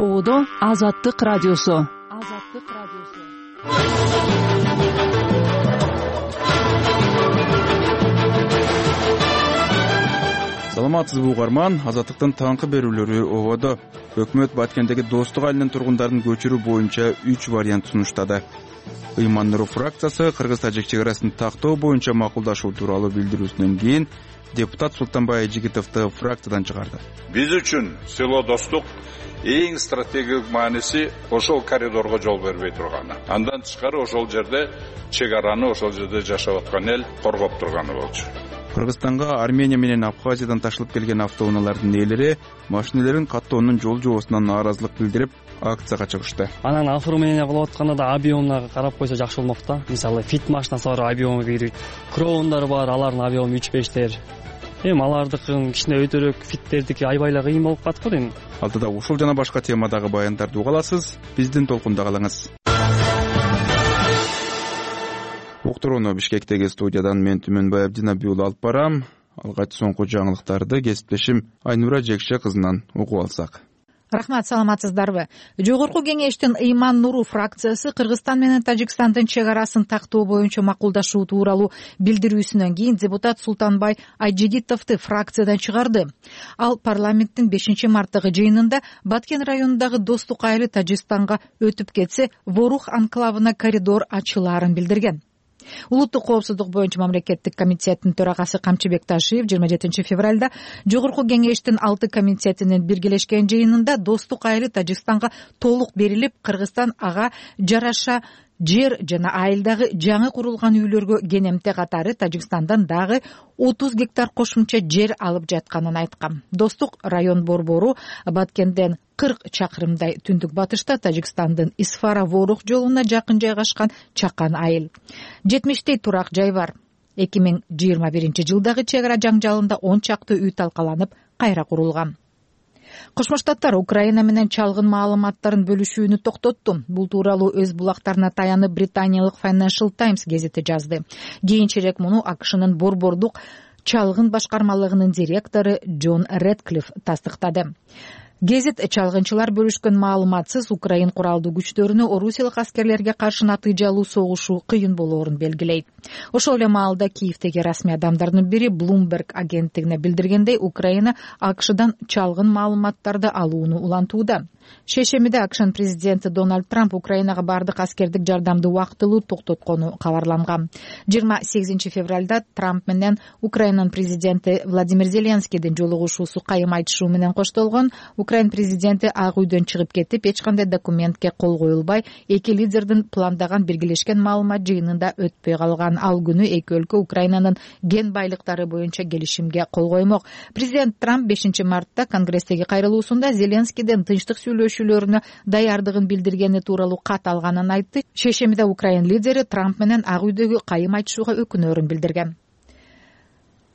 Оодо Азаттык радиосу. Саламатсызбы угарман, Азаттыктын таңкы берүүлөрү ободо. Өкмөт Баткендеги Достук айылынын тургундарын көчүрүү боюнча 3 вариант сунуштады. Ыйман Нуров фракциясы Кыргыз-Тажик чек-арасын тактоо боюнча макулдашуу тууралуу билдирүүсүнөн кийин депутат Султанбай Айжигитовду фракциядан чыгарды. Биз үчүн село Достук эң стратегиялык мааниси ошол коридорго жол бербей турганы. Андан тышкары ошол жерде чек-араны, ошол жерде жашап аткан эл коргоп турганы болчу. Кыргызстанга Армения менен Абхазиядан ташылып келген автоунаалардын ээлери машинелерин каттоонун жол жобосуна нааразылык билдирип акцияга чыгышты. Анан оформление кылып атканда да объемуна карап койсо жакшы болмок да. Мисалы фит машинасы бар, объему кирбейт. Кроундар бар, алардын объему 3-5тер. Алардыкын кичине өтөрөөк, фиттердики аябай кыйын болуп калат го дейм. Алдыда ушул жана башка темадагы баяндарды уга аласыз. Биздин толкунда калыңыз. Уктурууну Бишкектеги студиядан мен Түмөнбай Абдинабий уулу алып барам. Алгач соңку жаңылыктарды кесиптешим Айнура Жекше кызынан угуп алсак. Рахмат, саламатсыздарбы? Жогорку кеңештин Ыйман Нуров фракциясы Кыргызстан менен Тажикстандын чек-арасын тактоо боюнча макулдашуу тууралуу билдирүүсүнөн кийин депутат Султанбай Айжигитовду фракциядан чыгарды. Ал парламенттин 5-марттагы жыйынында Баткен районундагы Достук айылы Тажикстанга өтүп кетсе, Ворух анклавына коридор ачылаарын билдирген. Улуттук коопсуздук боюнча мамлекеттик комитеттин төрагасы Камчыбек Ташиев 27 февралда Жогорку кеңештин 6 комитетинин биргелешкен жыйынында Достук айылы Тажикстанга толук берилип, Кыргызстан ага жараша жер жана айылдагы жаңы курулган үйлөргө кенемте катары Тажикстандан дагы 30 гектар кошумча жер алып жатканын айткан. Достук район борбору Баткенден 40 чакырымдай түндүк батышта Тажикстандын Исфара-Ворух жолуна жакын жайгашкан чакан айыл. 70 турак жай бар. 2021-жылдагы чек-ара жаңжалында 10 чакты үй талкаланып, кайра курулган. Кошмо Штаттар Украина менен чалгын маалыматтарын бөлүшүүнү токтотту. Бул тууралуу өз булактарына таянып британиялык Financial Times гезити жазды. Кийинчерээк муну АКШнын борбордук чалгын башкармалыгынын директору Джон Редклифф тастыктады. Гезит чалгынчылар бөлүшкөн маалыматсыз Украин куралдуу күчтөрүнө орусиялык аскерлерге каршы натыйжалуу согушуу кыйын болоорун белгилейт. Ошол эле маалда Киевдеги расмий адамдардын бири Bloomberg агенттигине билдиргендей, Украина АКШдан чалгын маалыматтарды алууну улантууда. Шешемиде АКШнын президенти Дональд Трамп Украинага бардык аскердик жардамды убактылуу токтоткону кабарланган. 28 февралда Трамп менен Украинанын президенти Владимир Зеленскийдин жолугушуусу кайым айтышуу менен коштолгон. Украин президенти Ак үйдөн чыгып кетип, эч кандай документке кол коюлбай, эки лидердин пландаган биргелешкен маалымат жыйынында өтпөй калган. Ал күнү эки өлкө Украинанын ген байлыктары боюнча келишимге кол коймок. Президент Трамп 5-мартта Конгресстеги кайрылуусунда Зеленскийден тынчтык сүйлөшүүлөрүнө даярдыгын билдиргени тууралуу кат алганын айтты. Шешемиде Украин лидери Трамп менен Ак үйдөгү кайым айтышууга өкүнөрүн билдирген.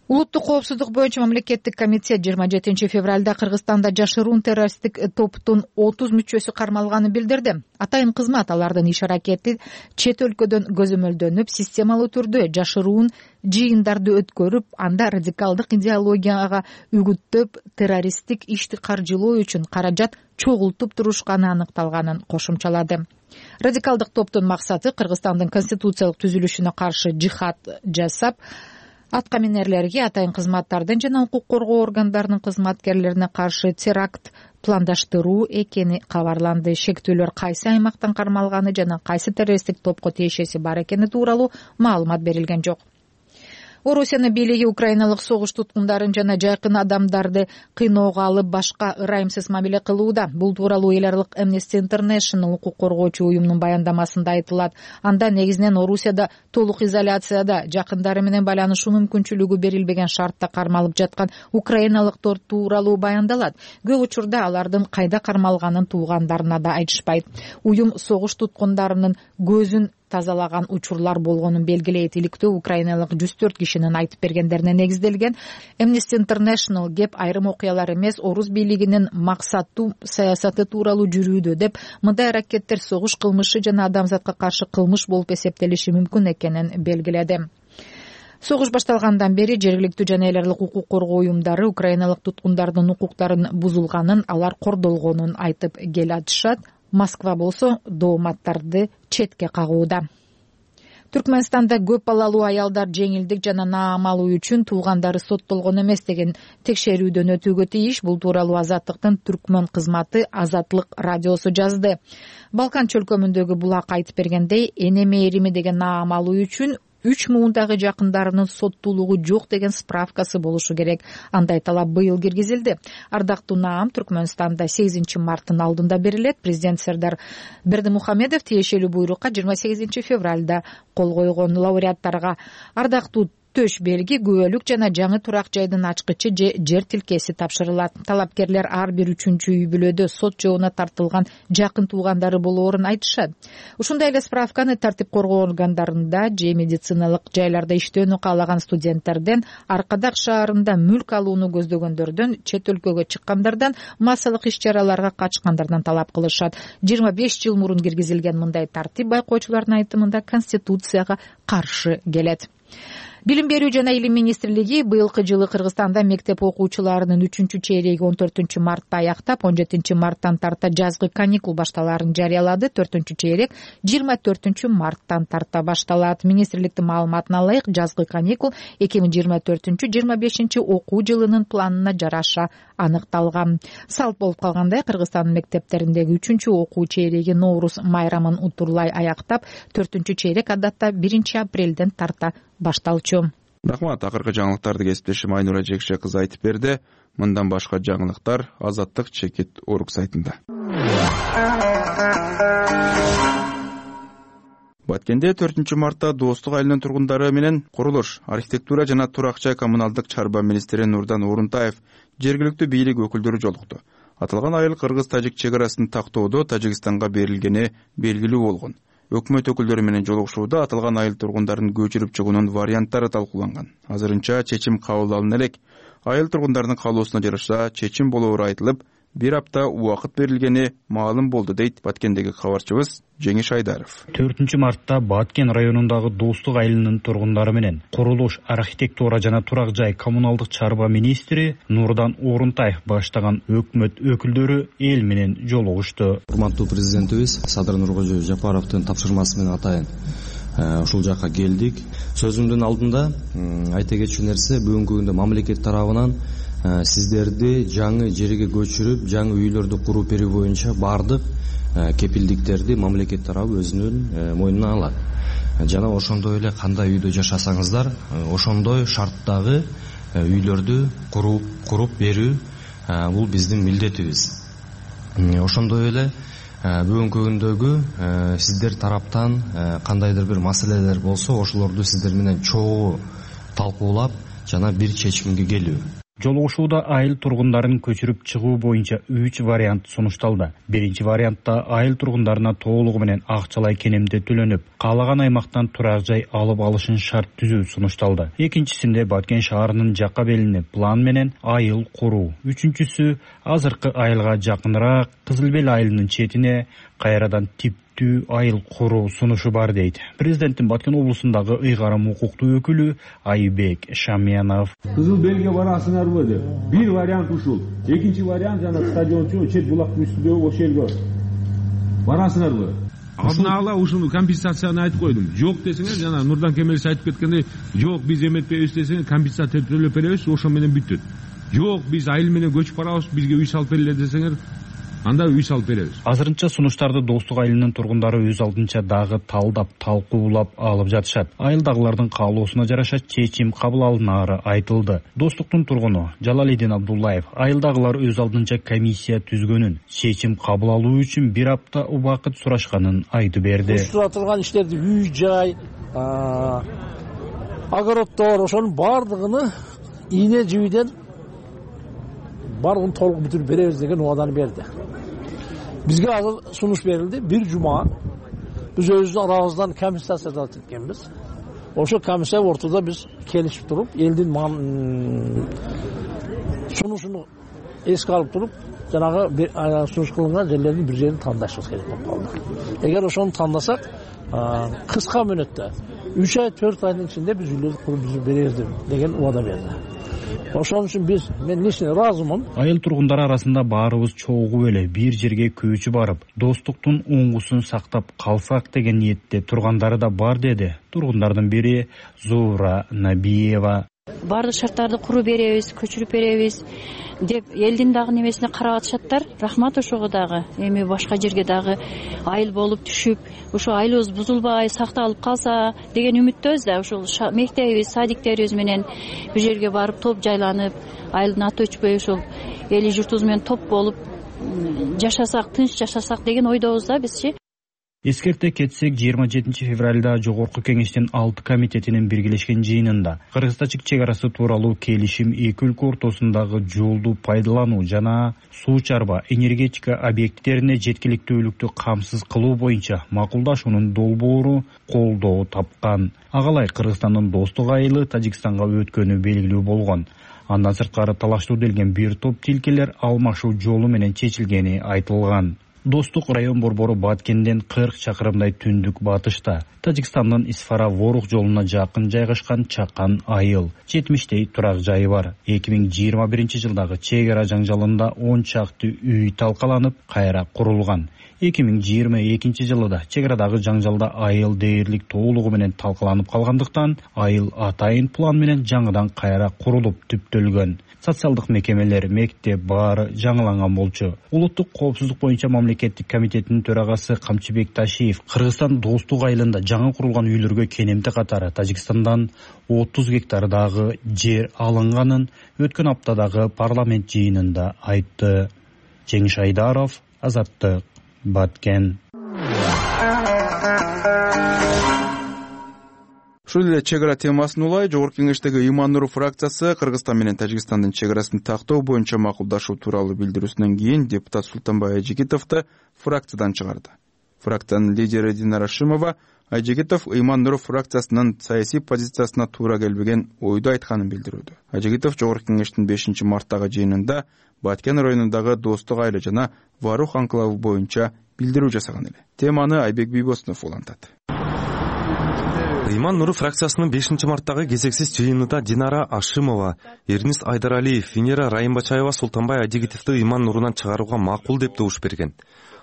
Улуттук коопсуздук боюнча мамлекеттик комитет 27 февралда Кыргызстанда жашыруун террористтик топтун 30 мүчөсү кармалганын билдирди. Атайын кызмат алардын иш-аракети чет өлкөдөн көзөмөлдөнүп, системалуу түрдө жашыруун жыйындарды өткөрүп, анда радикалдык идеологияга үгүттөп, террористтик ишти каржылоо үчүн каражат чогултуп турушканы аныкталганын кошумчалады. Радикалдык топтун максаты Кыргызстандын конституциялык түзүлүшүнө каршы жихад жасап, аткаминерлерге, атайын кызматтардын жана укук коргоо органдарынын кызматкерлерине каршы теракт пландаштыруу экени кабарланды. Шектүүлөр кайсы аймактан кармалганы жана кайсы террористтик топко тиешеси бар экени тууралуу маалымат берилген жок. Орусиянын бийлиги украиналык согуш туткундарын жана жайкын адамдарды кыйноого алып, башка ырайымсыз мамиле кылууда. Бул тууралуу эл аралык Amnesty International укук коргоочу уюмунун баяндамасында айтылат. Анда негизинен Орусияда толук изоляцияда, жакындары менен байланышуу мүмкүнчүлүгү берилбеген шартта кармалып жаткан украиналыктар тууралуу баяндалат. Көп учурда алардын кайда кармалганын туугандарына да айтышпайт. Уюм согуш туткундарынын көзүн тазалаган учурлар болгонун белгилейт. Иликтөө украиналык 104 кишинин айтып бергендерине негизделген. Amnesty International кеп айрым окуялар эмес, орус бийлигинин максаттуу саясаты тууралуу жүрүүдө деп, мындай аракеттер согуш кылмышы жана адамзатка каршы кылмыш болуп эсептелиши мүмкүн экенин белгиледи. Согуш башталгандан бери жергиликтүү жана эл аралык укук коргоо уюмдары украиналык туткундардын укуктарын бузулганын, алар кордолгонун айтып келатышат. Москва болсо дооматтарды четке кагууда. Түркмөнстанда көп балалуу аялдар жеңилдик жана наам алуу үчүн туугандары соттолгон эмес деген текшерүүдөн өтүүгө тийиш. Бул тууралуу Азаттыктын түркмөн кызматы Азаттык радиосу жазды. Балкан чөлкөмүндөгү булак айтып бергендей, эне мээрими деген наам алуу үчүн 3 муундагы жакындарынын соттуулугу жок деген справкасы болушу керек. Андай талап быйыл киргизилди. Ардактуу наам Түркмөнстанда 8 марттын алдында берилет. Президент Сердар Бердимухамедов тиешелүү буйрукка 28 февралда кол койгон. Лауреаттарга ардактуу төш белги, күбөлүк жана жаңы турак жайдын ачкычы же жер тилкеси тапшырылат. Талапкерлер ар бир 3-чү үй бүлөдө сот жообуна тартылган жакын туугандары болоорун айтышат. Ушундай эле справканы тартип коргоо органдарында же медициналык жайларда иштөөнү каалаган студенттерден, Аркадак шаарында мүлк алууну көздөгөндөрдөн, чет өлкөгө чыккандардан, массалык иш-чараларга катышкандардан талап кылышат. 25 жыл мурун киргизилген мындай тартип байкоочулардын айтымында Конституцияга каршы келет. Билим берүү жана илим министрлиги быйылкы жылы Кыргызстанда мектеп окуучуларынын 3-чү чейреги 14 мартта аяктап, 17 марттан тарта жазгы каникул башталаарын жарыялады. 4-чү чейрек 24 марттан тарта башталат. Министрликтин маалыматына ылайык, жазгы каникул 2024-25 окуу жылынын планына жараша аныкталган. Салт болуп калгандай, Кыргызстандын мектептериндеги 3-чү окуу чейреги Ноурус майрамын утурлай аяктап, 4-чү чейрек адатта 1 апрелден тарта башталчу. Рахмат. Акыркы жаңылыктарды кесиптешим Айнура Жекше кызы айтып берди. Мындан башка жаңылыктар Азаттык чекит орг сайтында. Баткенде 4 мартта Достук айылынын тургундары менен курулуш, архитектура жана турак жай коммуналдык чарба министри Нурдан Орунтаев жергиликтүү бийлик өкүлдөрү жолукту. Аталган айыл кыргыз-тажик чек арасын тактоодо Тажикстанга берилгени белгилүү болгон. Өкмөт өкүлдөрү менен жолугушууда аталган айыл тургундарын көчүрүп чыгуунун варианттары талкууланган. Азырынча чечим кабыл алына элек. Айыл тургундарынын каалоосуна жараша чечим болоору айтылып, 1 апта убакыт берилгени маалым болду, дейт Баткендеги кабарчыбыз Жеңиш Айдаров. 4 мартта Баткен районундагы Достук айылынын тургундары менен курулуш, архитектура жана турак жай коммуналдык чарба министри Нурдан Орунтаев баштаган өкмөт өкүлдөрү эл менен жолугушту. Урматтуу президентибиз Садыр Нуркожо Жапаровдун тапшырмасы менен атайын ушул жакка келдик. Сөзүмдүн алдында айта кетчү нерсе, бүгүнкү күндө мамлекет тарабынан сиздерди жаңы жерге көчүрүп, жаңы үйлөрдү куруп берүү боюнча бардык кепилдиктерди мамлекет тарабы өзүнүн мойнуна алат. Жана ошондой эле кандай үйдө жашасаңыздар, ошондой шарттагы үйлөрдү куруп берүү бул биздин милдетибиз. Ошондой эле бүгүнкү күндөгү сиздер тараптан кандайдыр бир маселелер болсо, ошолорду сиздер менен чогуу талкуулап жана бир чечимге келүү. Жолугушууда айыл тургундарын көчүрүп чыгуу боюнча 3 вариант сунушталды. Биринчи вариантта айыл тургундарына толугу менен акчалай кенемде төлөнүп, каалаган аймактан турак жай алып алышын шарт түзүү сунушталды. Экинчисинде Баткен шаарынын жакка белине план менен айыл куруу. Үчүнчүсү азыркы айылга жакыныраак Кызыл Бел айылынын четине кайрадан типтүү айыл куруу сунушу бар, дейт президенттин Баткен облусундагы ыйгарым укуктуу өкүлү Айбек Шамиянов. Кызыл Белге барасыңарбы деп. Бир вариант ушул. Экинчи вариант жана стадиончу чет булактын үстүндөгү ошол жерге барасыңарбы? Алдын ала ушуну компенсацияны айтып койдум. Жок десеңер, жана Нурдан Кемелович айтып кеткендей, жок биз эметпейбиз десеңер, компенсация төлөп беребиз, ошо менен бүттүт. Жок биз айыл менен көчүп барабыз, бизге үй салып бергиле десеңер, анда үй салып беребиз. Азырынча сунуштарды Достук айылынын тургундары өз алдынча дагы талдап, талкуулап алып жатышат. Айылдагылардын каалоосуна жараша чечим кабыл алынары айтылды. Достуктун тургуну Жалалидин Абдуллаев айылдагылар өз алдынча комиссия түзгөнүн, чечим кабыл алуу үчүн 1 апта убакыт сурашканын айтып берди. Турган иштерди үй жай, огороддор, ошонун бардыгын ийне жибиден бардыгын толук бүтүрүп беребиз деген убаданы берди. Бизге азыр сунуш берилди. 1 жума биз өзүбүздүн арабыздан комиссия да эткенбиз. Ошо комиссия ортодо биз келишип туруп, элдин сунушуну эске алып туруп, жанагы сунуш кылынган жерлердин бир жерин тандашыбыз керек болуп калды. Эгер ошону тандасак, кыска мөөнөттө 3 ай 4 айдын ичинде биз үйлөрдү куруп беребиз деген убада берди. Ошон үчүн мен лично ыраазымын. Айыл тургундары арасында баарыбыз чогуу эле бир жерге көчүп барып, достуктун оңгусун сактап калсак деген ниетте тургандары да бар деди тургундардын бири Зуура Набиева. Бардык шарттарды куруп беребиз, көчүрүп беребиз деп элдин дагы немесине карап атышаттар. Рахмат ошого дагы. Эми башка жерге дагы айыл болуп түшүп, ошо айылыбыз бузулбай, сакталып калса деген үмүттөбүз да. Ошол мектебибиз, садиктерибиз менен бир жерге барып топ жайланып, айылдын аты өчпөй ошол эли журтубуз менен топ болуп жашасак, тынч жашасак деген ойдобуз да бизчи. Эскерте кетсек, 27 февралда Жогорку Кеңештин 6 комитетинин биргелешкен жыйынында Кыргыз-Тажик чек арасы тууралуу келишим эки өлкө ортосундагы жолду пайдалануу жана суу чарба энергетика объекттерине жеткиликтүүлүктү камсыз кылуу боюнча макулдашуунун долбоору колдоо тапкан. Агалай Кыргызстандын достук айылы Тажикстанга өткөнү белгилүү болгон. Андан сырткары талаштуу делген бир топ тилкелер алмашуу жолу менен чечилгени айтылган. Достук район борбору Баткенден 40 чакырымдай түндүк батышта, Тажикстандын Исфара-Ворух жолуна жакын жайгашкан чакан айыл. 70 турак жайы бар. 2021 жылдагы чек ара жаңжалында 10 чакты үй талкаланып, кайра курулган. 2022 жылы да чек арадагы жаңжалда айыл дээрлик толугу менен талкаланып калгандыктан, айыл атайын план менен жаңыдан кайра курулуп түптөлгөн. Социалдык мекемелер, мектеп баары жаңыланган болчу. Улуттук коопсуздук боюнча мамлекеттик комитетинин төрагасы Камчыбек Ташиев Кыргызстан достук айылында жаңы курулган үйлөргө кенемти катары Тажикстандан 30 гектардагы жер алынганын өткөн аптадагы парламент жыйынында айтты. Жеңиш Айдаров, Азаттык, Баткен. Ушул эле чек ара темасын улай Жогорку Кеңештеги Ыйман Нуров фракциясы Кыргызстан менен Тажикстандын чек арасын тактоо боюнча макулдашуу тууралуу билдирүүсүнөн кийин депутат Султанбай Айжигитовду фракциядан чыгарды. Фракциянын лидери Динара Шымова Айжигитов Ыйман Нуров фракциясынын саясий позициясына туура келбеген ойду айтканын билдирүүдө. Айжигитов Жогорку Кеңештин 5 марттагы жыйынында Баткен районундагы достук айыл жана Варух анклавы боюнча билдирүү жасаган эле. Теманы Айбек Бийбосунов улантат. Ыйман Нуров фракциясынын 5 марттагы кезексиз жыйынында Динара Ашимова, Эрнист Айдаралиев, Венера Райымбачаева Султанбай Айжигитовду Ыйман Нурунан чыгарууга макул деп добуш берген.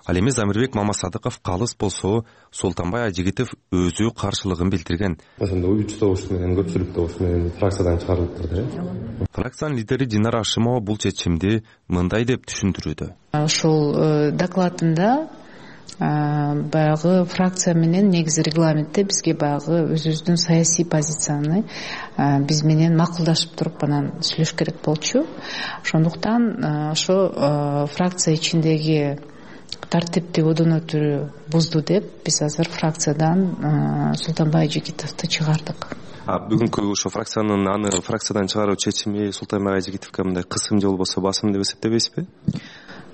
Ал эми Замирбек Мамасадыков калыс болсо, Султанбай Айжигитов өзү каршылыгын билдирген. Ошондо 3 добуш менен көпчүлүк добуш менен фракциядан чыгарылыптыр. Фракциянын лидери Динара Ашимова бул чечимди мындай деп түшүндүрүүдө. Ошол докладында баягы фракция менен негизи регламентте бизге баягы өзүбүздүн саясий позицияны биз менен макулдашып туруп анан сүйлөш керек болчу. Ошондуктан ошо фракция ичиндеги тартипти одон өтүрүү бузду деп биз азыр фракциядан Султанбай Айжигитовду чыгардык. Бүгүнкү ошо фракциянын аны фракциядан чыгаруу чечими Султанбай Айжигитовго мындай кысым же болбосо басым деп эсептебейсизби?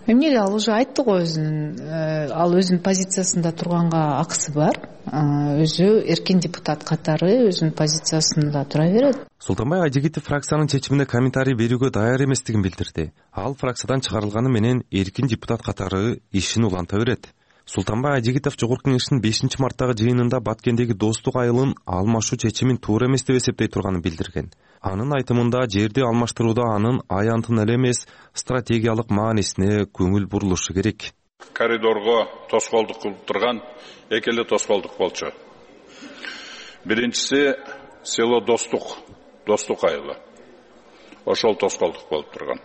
Эмнеге ал уже айтты го ал өзүнүн позициясында турганга акысы бар. Өзү эркин депутат катары өзүнүн позициясында тура берет. Султанбай Айжигитов фракциянын чечимине комментарий берүүгө даяр эместигин билдирди. Ал фракциядан чыгарылганы менен эркин депутат катары ишин уланта берет. Султанбай Айжигитов Жогорку Кеңештин 5 марттагы жыйынында Баткендеги достук айылын алмашуу чечимин туура эмес деп эсептей турганын билдирген. Анын айтымында жерди алмаштырууда анын аянтын эле эмес стратегиялык маанисине көңүл бурулушу керек. Коридорго тоскоолдук кылып турган эки эле тоскоолдук болчу. Биринчиси село достук айылы. Ошол тоскоолдук болуп турган.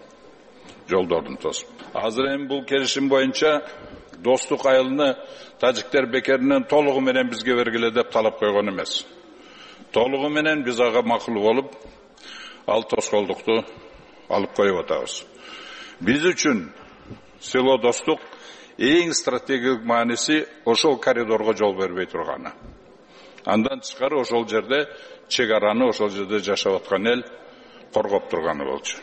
Жолдордун тосуп. Азыр эми бул келишим боюнча достук айылыны тажиктер бекеринен толугу менен бизге бергиле деп талап койгон эмес. Толугу менен биз ага макул болуп, ал тоскоолдукту алып коюп атабыз. Биз үчүн село достук эң стратегиялык мааниси ошол коридорго жол бербей турганы. Андан тышкары ошол жерде чек араны ошол жерде жашап аткан эл коргоп турганы болчу.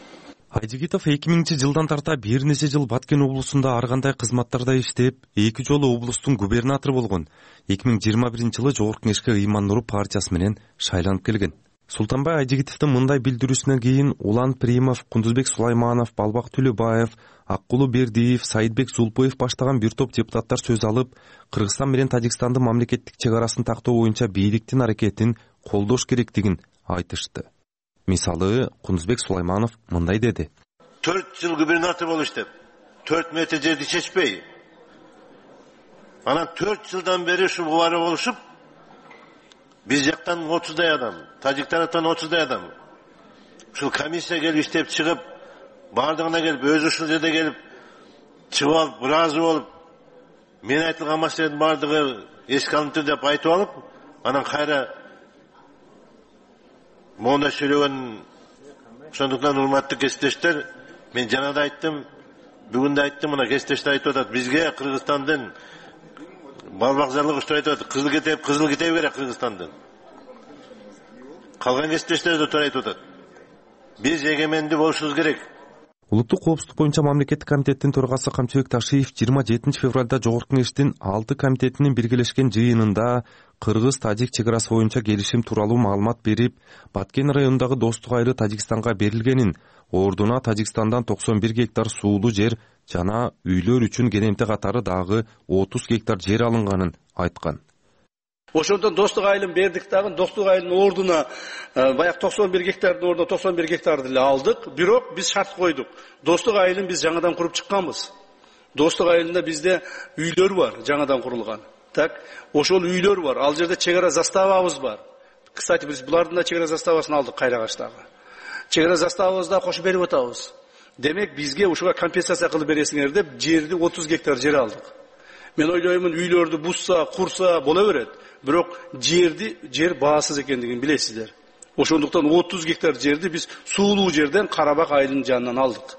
Айжигитов 2000-жылдан тарта бир нече жыл Баткен облусунда ар кандай кызматтарда иштеп, 2 жолу облустун губернатору болгон. 2021 жылы Жогорку Кеңешке Ыйман Нуров партиясы менен шайланып келген. Султанбай Айжигитовдун мындай билдирүүсүнөн кийин Улан Примов, Кундузбек Сулайманов, Балбак Төлөбаев, Аккулу Бердиев, Саидбек Зулпоев баштаган бир топ депутаттар сөз алып, Кыргызстан менен Тажикстандын мамлекеттик чек арасын тактоо боюнча бийликтин аракетин колдош керектигин айтышты. Мисалы, Кундузбек Сулайманов мындай деди: 4 жыл губернатор болуп иштеп, 4 метр жерди чечпей, анан 4 жылдан бери ушу убары болушуп, биз жактан 30дай адам, тажик тараптан 30дай адам. Ушул комиссия келип иштеп чыгып, бардыгына келип, өзү ушул жерде келип чыгып алып, ыраазы болуп, мен айтылган маселенин бардыгы эске алынды деп айтып алып, анан кайра монда сүйлөгөн. Ошондуктан урматтуу кесиптештер, мен жана да айттым, бүгүн да айттым, мына кесиптештер айтып атат, бизге Кыргызстандын балбакзарлыгы уштур айтып атат, кызыл китеби керек Кыргызстандын. Калган кесиптештер да туура айтып атат. Биз эгемендүү болушубуз керек. Улуттук коопсуздук боюнча мамлекеттик комитеттин төрагасы Камчыбек Ташиев 27 февралда Жогорку Кеңештин 6 комитетинин биргелешкен жыйынында Кыргыз-Тажик чек арасы боюнча келишим тууралуу маалымат берип, Баткен районундагы Достук айылы Тажикстанга берилгенин, ордуна Тажикстандан 91 гектар суулуу жер жана үйлөр үчүн керемте катары дагы 30 гектар жер алынганын айткан. Ошондон Достук айылын бердик дагы, Достук айылынын ордуна баягы 91 гектардын ордуна 91 гектарды эле алдык. Бирок биз шарт койдук. Достук айылын биз жаңадан куруп чыкканбыз. Достук айылында бизде үйлөр бар, жаңадан курулган. Так, ошол үйлөр бар. Ал жерде чек ара заставабыз бар. Кстати, биз булардын да чек ара заставасын алдык Кайрагачтагы. Чек ара заставабызды да кошуп берип атабыз. Демек бизге ушуга компенсация кылып бересиңер деп жерди 30 гектар жер алдык. Мен ойлоймун, үйлөрдү бузса, курса боло берет. Бирок жер баасыз экендигин билесиздер. Ошондуктан 30 гектар жерди биз суулуу жерден Карабак айылынын жанынан алдык.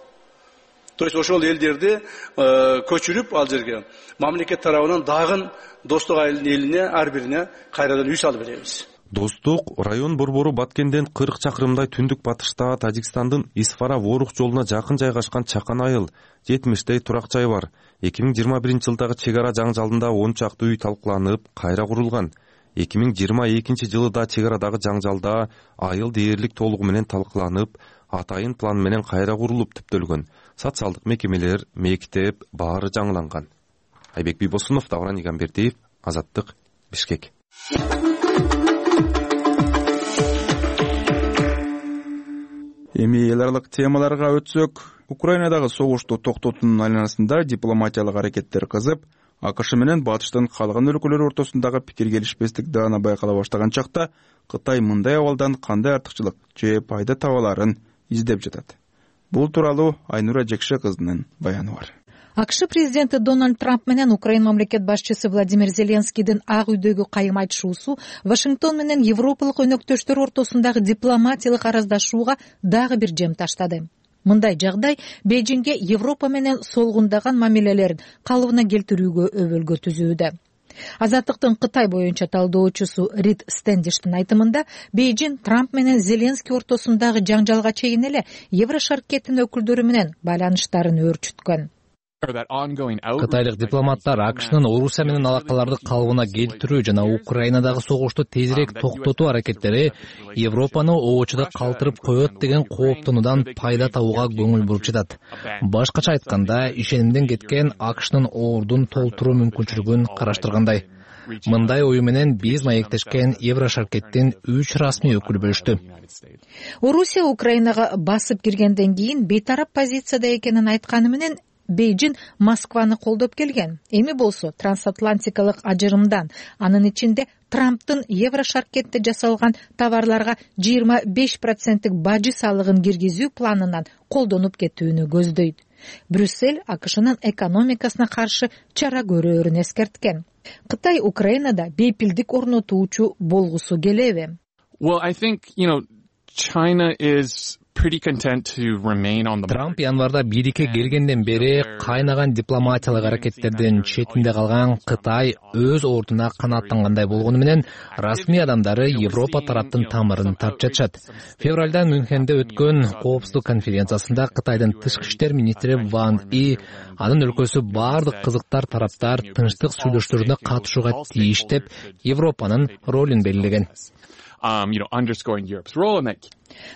То есть ошол элдерди көчүрүп ал жерге мамлекет тарабынан дагы Достук айылынын элине ар бирине кайрадан үй салып беребиз. Достук район борбору Баткенден 40 чакырымдай түндүк батышта Тажикстандын Исфара-Ворух жолуна жакын жайгашкан Чакан айыл, 70тэй турак жай бар. 2021-жылдагы чек ара жаңжалында 10 чакты үй талкууланып, кайра курулган. 2022-жылы да чек арадагы жаңжалда айыл дээрлик толугу менен талкууланып, атайын план менен кайра курулуп түптөлгөн. Социалдык мекемелер, мектеп баары жаңыланган. Айбек Бибосунов, Давран Игамбердиев, Азаттык, Бишкек. Эми эл аралык темаларга өтсөк, Украинадагы согушту токтотуунун айланасында дипломатиялык аракеттер кызып, АКШ менен батыштын калган өлкөлөр ортосундагы пикир келишпестик даана байкала баштаган чакта Кытай мындай абалдан кандай артыкчылык же пайда таба аларын издеп жатат. Бул тууралуу Айнура Жекше кызынын баяны бар. АКШ президенти Дональд Трамп менен Украина мамлекет башчысы Владимир Зеленскийдин Ак үйдөгү кайым айтышуусу Вашингтон менен европалык өнөктөштөр ортосундагы дипломатиялык араздашууга дагы бир жем таштады. Мындай жагдай Бейжиңге Европа менен солгундаган мамилелерин калыбына келтирүүгө өбөлгө түзүүдө. Азаттыктын Кытай боюнча талдоочусу Рид Стендиштин айтымында, Бейжиң Трамп менен Зеленский ортосундагы жаңжалга чейин эле Еврошаркеттин өкүлдөрү менен байланыштарын өөрчүткөн. Кытайлык дипломаттар АКШнын Орусия менен алакаларды калыбына келтирүү жана Украинадагы согушту тезирээк токтотуу аракеттери Европаны оочуда калтырып коет деген кооптонуудан пайда табууга көңүл буруп жатат. Башкача айтканда, ишенимден кеткен АКШнын ордун толтуруу мүмкүнчүлүгүн караштыргандай. Мындай ою менен биз маектешкен Еврошаркеттин 3 расмий өкүлү бөлүштү. Орусия Украинага басып киргенден кийин бейтарап позицияда экенин айтканы менен Бейжиң Москваны колдоп келген. Эми болсо трансатлантикалык ажырымдан, анын ичинде Трамптын Еврошаркетте жасалган товарларга 25% бажы салыгын киргизүү планынан колдонуп кетүүнү көздөйт. Брюссель АКШнын экономикасына каршы чара көрөөрүн эскерткен. Кытай Украинада бейпилдик орнотуучу болгусу келеби? Трамп январда бирикке келгенден бери кайнаган дипломатиялык аракеттердин четинде калган Кытай өз ордуна канааттангандай болгону менен расмий адамдары Европа тараптын тамырын тартып жатышат. Февралда Мюнхенде өткөн коопсуздук конференциясында Кытайдын тышкы иштер министри Ван И анын өлкөсү бардык кызыктар тараптар тынчтык сүйлөшүүлөрүнө катышууга тийиш деп Европанын ролун белгилеген. underscoring Europe's role in that.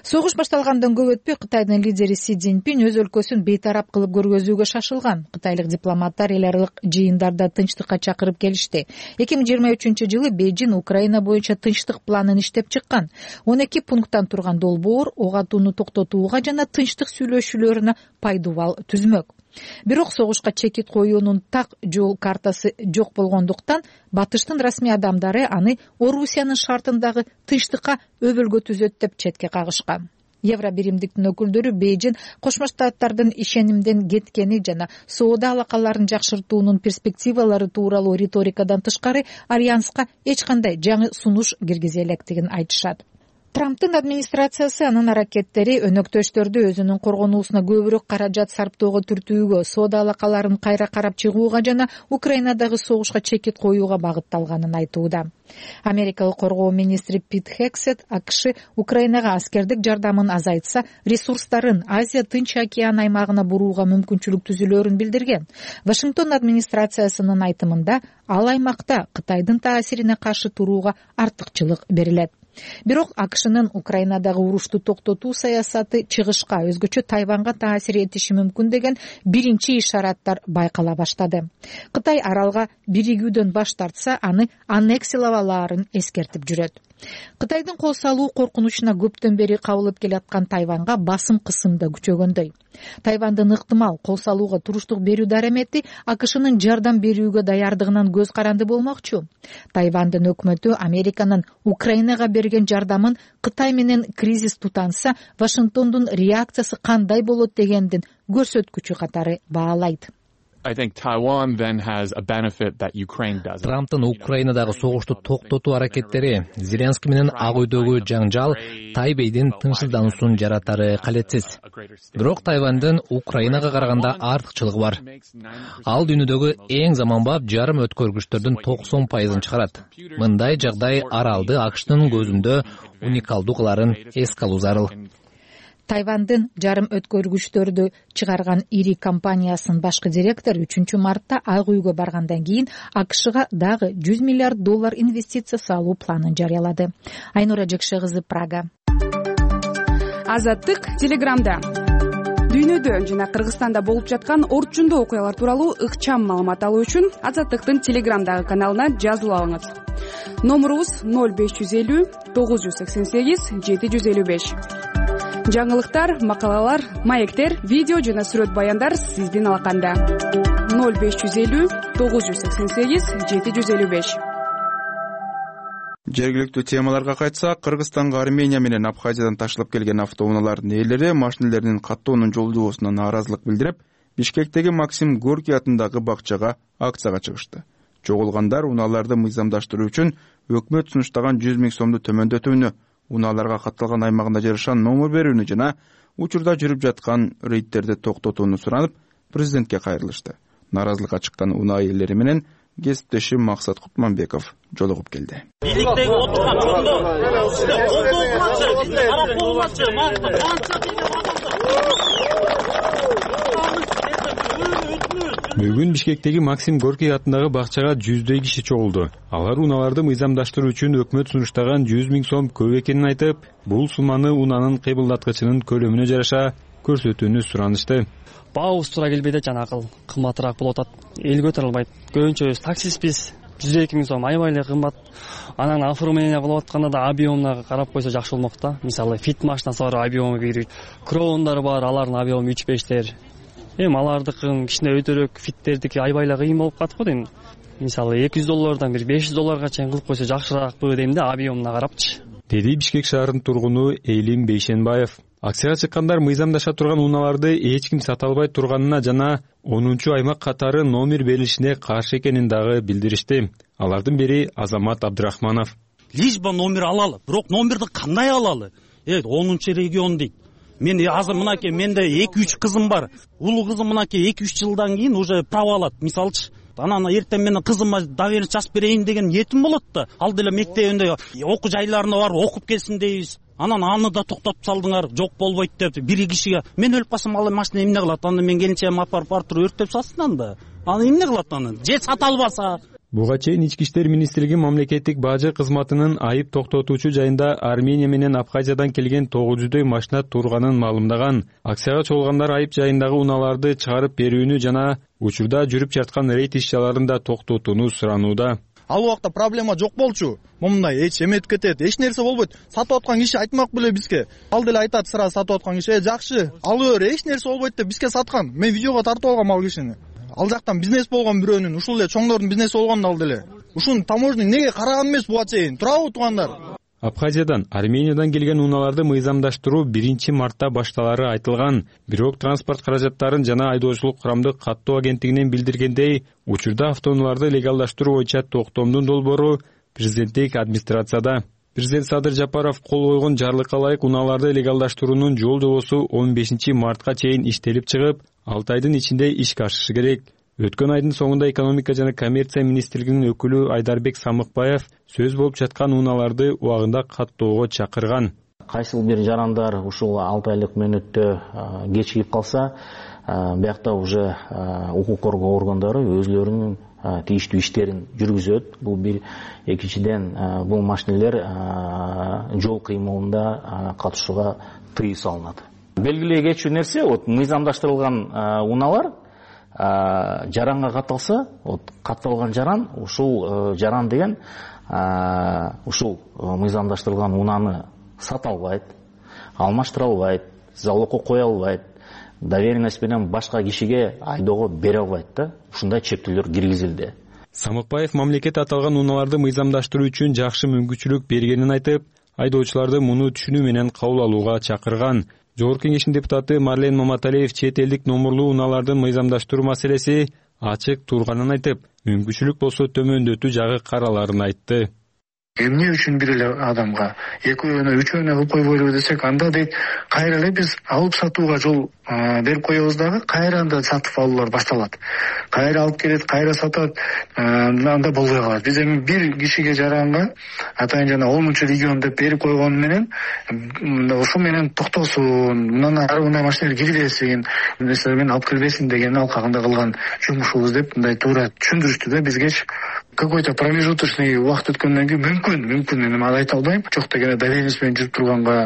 Согуш башталгандан көп өтпөй Кытайдын лидери Си Цзиньпин өз өлкөсүн бейтарап кылып көргөзүүгө шашылган. Кытайлык дипломаттар эл аралык жыйындарда тынчтыкка чакырып келишти. 2023-жылы Бейжин Украина боюнча тынчтык планын иштеп чыккан. 12 пункттан турган долбоор ок атууну токтотууга жана тынчтык сүйлөшүүлөрүнө пайдубал түзмөк. Бирок согушка чекит коюунун так жол картасы жок болгондуктан батыштын расмий адамдары аны Орусиянын шартындагы тынчтыкка өбөлгө түзөт деп четке кагышкан. Евро биримдиктин өкүлдөрү Бейжин Кошмо Штаттардын ишенимден кеткени жана соода алакаларын жакшыртуунун перспективалары тууралуу риторикадан тышкары альянска эч кандай жаңы сунуш киргизе электигин айтышат. Трамптын администрациясы анын аракеттери өнөктөштөрдү өзүнүн коргонуусуна көбүрөөк каражат сарптоого түртүүгө, соода алакаларын кайра карап чыгууга жана Украинадагы согушка чекит коюуга багытталганын айтууда. Америкалык коргоо министри Пит Хексет АКШ Украинага аскердик жардамын азайтса, ресурстарын Азия Тынч океан аймагына бурууга мүмкүнчүлүк түзүлөөрүн билдирген. Вашингтон администрациясынын айтымында ал аймакта Кытайдын таасирине каршы турууга артыкчылык берилет. Бирок АКШнын Украинадагы урушту токтотуу саясаты чыгышка, өзгөчө Тайванга таасир этиши мүмкүн деген биринчи ишараттар байкала баштады. Кытай аралга биригүүдөн баш тартса, аны аннексиялааларын эскертип жүрөт. Кытайдын кол салуу коркунучуна көптөн бери кабылып келаткан Тайванга басым кысымда күчөгөндөй. Тайвандын ыктымал кол салууга туруштук берүү дарамети АКШнын жардам берүүгө даярдыгынан көз каранды болмокчу. Тайвандын өкмөтү Американын Украинага берген жардамын Кытай менен кризис тутанса, Вашингтондун реакциясы кандай болот дегендин көрсөткүчү катары баалайт. Трамптын Украинадагы согушту токтотуу аракеттери Зеленский менен Ак үйдөгү жаңжал Тайбейдин тынчсыздануусун жаратары калетсиз. Бирок Тайвандын Украинага караганда артыкчылыгы бар. Ал дүйнөдөгү эң заманбап жарым өткөргүчтөрдүн 90% чыгарат. Мындай жагдай аралды АКШтын көзүндө уникалдуу кыларын эске алуу зарыл. Тайвандын жарым өткөргүчтөрдү чыгарган ири компаниясынын башкы директору 3-мартта Ак үйгө баргандан кийин АКШга дагы $100 миллиард инвестиция салуу планын жарыялады. Айнура Жекше кызы, Прага. Азаттык Телеграмда. Дүйнөдө жана Кыргызстанда болуп жаткан орчундуу окуялар тууралуу ыкчам маалымат алуу үчүн Азаттыктын Телеграмдагы каналына жазылып алыңыз. Номурубуз 0550 988 755. Жаңылыктар, макалалар, маектер, видео жана сүрөт баяндар сиздин алаканда. 0550 988 755. Жергиликтүү темаларга кайтсак, Кыргызстанга Армения менен Абхазиядан ташталып келген автоунаалардын ээлери машинелеринин каттоонун жолдобосуна нааразылык билдирип, Бишкектеги Максим Горький атындагы бакчага акцияга чыгышты. Жоголгандар унааларды мыйзамдаштыруу үчүн өкмөт сунуштаган 100 000 сомду төмөндөтүүнү, унааларга катталган аймагында жарышан номер берүүнү жана учурда жүрүп жаткан рейдтерди токтотууну суранып, президентке кайрылышты. Нааразылыкка чыккан унаа ээлери менен кесиптешим Максат Кутманбеков жолугуп келди. Бийликтеги отурган чоңдор карап болмачы, Бүгүн Бишкектеги Максим Горький атындагы бакчага 100дөй киши чогулду. Алар унааларды мыйзамдаштыруу үчүн өкмөт сунуштаган 100 000 сом көп экенин айтып, бул сумманы унаанын кыймылдаткычынын көлөмүнө жараша көрсөтүүнү суранышты. Баабыз туура келбейт, жанакыл кымбатыраак болуп атат. Эл көтөрө албайт. Көбүнчө таксистпиз. 102 000 сом аябай эле кымбат. Анан оформление кылып атканда да объемуна карап койсо жакшы болмок да. Мисалы фит машинасы бар, объему кирет. Кроондар бар, алардын объему 3-5тер. Алардыкын кичине өтөрөөк, фиттердики аябай эле кыйын болуп калат го дейм. Мисалы $200 бир $500 чейин кылып койсо жакшыраакпы дейм да, объемуна карапчы. Деди Бишкек шаарынын тургуну Элим Бейшенбаев. Акцияга чыккандар мыйзамдаша турган унааларды эч ким сата албай турганына жана 10-аймак катары номер берилишине каршы экенин дагы билдиришти. Алардын бири Азамат Абдрахманов. Лишь бы номер алалы, бирок номерди кандай алалы? 10-регион дейт. Мен азыр мынакей менде 2-3 кызым бар. Улуу кызым мынакей 2-3 жылдан кийин уже право алат. Мисалчы, анан эртең менен кызыма доверенность жазып берейин деген ниетим болот да. Ал деле мектебинде окуу жайларына барып окуп келсин дейбиз. Анан аны да токтотуп салдыңар, жок болбойт деп. Бир кишиге мен өлүп калсам ал машина эмне кылат? Аны мен келинчегим апарып Артур өрттөп салсын анда. Аны эмне кылат аны? Же сата албаса? Буга чейин Ички иштер министрлиги мамлекеттик бажы кызматынын айып токтотуучу жайында Армения менен Абхазиядан келген 900дөй машина турганын маалымдаган. Акцияга чогулгандар айып жайындагы унааларды чыгарып берүүнү жана учурда жүрүп жаткан рейд иш-чараларын да токтотууну суранууда. Ал убакта проблема жок болчу. Момундай эч эметип кетет, эч нерсе болбойт. Сатып аткан киши айтмак беле бизге. Ал деле айтат сразу сатып аткан киши, жакшы, алып бер, эч нерсе болбойт деп бизге саткан. Мен видеого тартып алгам ал кишини. Ал жактан бизнес болгон бирөөнүн, ушул эле чоңдордун бизнеси болгон ал деле. Ушуну таможня неге караган эмес буга чейин? Турабы туугандар? Абхазиядан, Армениядан келген унааларды мыйзамдаштыруу 1-мартта башталары айтылган. Бирок транспорт каражаттарын жана айдоочулук курамдык каттоо агенттигинен билдиргендей, учурда автоунааларды легалдаштыруу боюнча токтомдун долбоору президенттик администрацияда. Президент Садыр Жапаров кол койгон жарлыкка ылайык унааларды легалдаштыруунун жол жобосу 15-мартка чейин иштелип чыгып, 6 айдын ичинде ишке ашышы керек. Өткөн айдын соңунда экономика жана коммерция министрлигинин өкүлү Айдарбек Самыкбаев сөз болуп жаткан унааларды убагында каттоого чакырган. Кайсыл бир жарандар ушул 6 айлык мөөнөттө кечигип калса, биякта уже укук коргоо органдары өзлөрүнүн тийиштүү иштерин жүргүзөт. Бул бир, экинчиден бул машинелер жол кыймылында катышууга тыюу салынат. Белгилей кетчү нерсе, мыйзамдаштырылган унаалар жаранга катталса, катталган жаран, ушул жаран деген ушул мыйзамдаштырылган унааны сата албайт, алмаштыра албайт, залогко кое албайт, доверенность менен башка кишиге айдоого бере албайт да. Ушундай чектөөлөр киргизилди. Самыкбаев мамлекет аталган унааларды мыйзамдаштыруу үчүн жакшы мүмкүнчүлүк бергенин айтып, айдоочуларды муну түшүнүү менен кабыл алууга чакырган. Жогорку Кеңештин депутаты Марлен Маматалиев чет элдик номурлуу унаалардын мыйзамдаштыруу маселеси ачык турганын айтып, мүмкүнчүлүк болсо төмөндөтүү жагы караларын айтты. Эмне үчүн бир эле адамга экөөнө, үчөөнө кылып койбойлубу десек, анда дейт, кайра эле биз алып сатууга жол берип коебуз дагы, кайра анда сатып алуулар башталат. Кайра алып келет, кайра сатат, анда болбой калат. Биз эми бир кишиге жаранга атайын жана 10-чу регион деп берип койгон менен ошо менен токтосун, мындан ары мындай машиналар кирбесин, нерселермен алып кирбесин деген алкагында кылган жумушубуз деп мындай туура түшүндүрүштү да бизге. Какой-то промежуточный убакыт өткөндөн кийин мүмкүн эми аны айта албайм. Жок дегенде доверенность менен жүрүп турганга,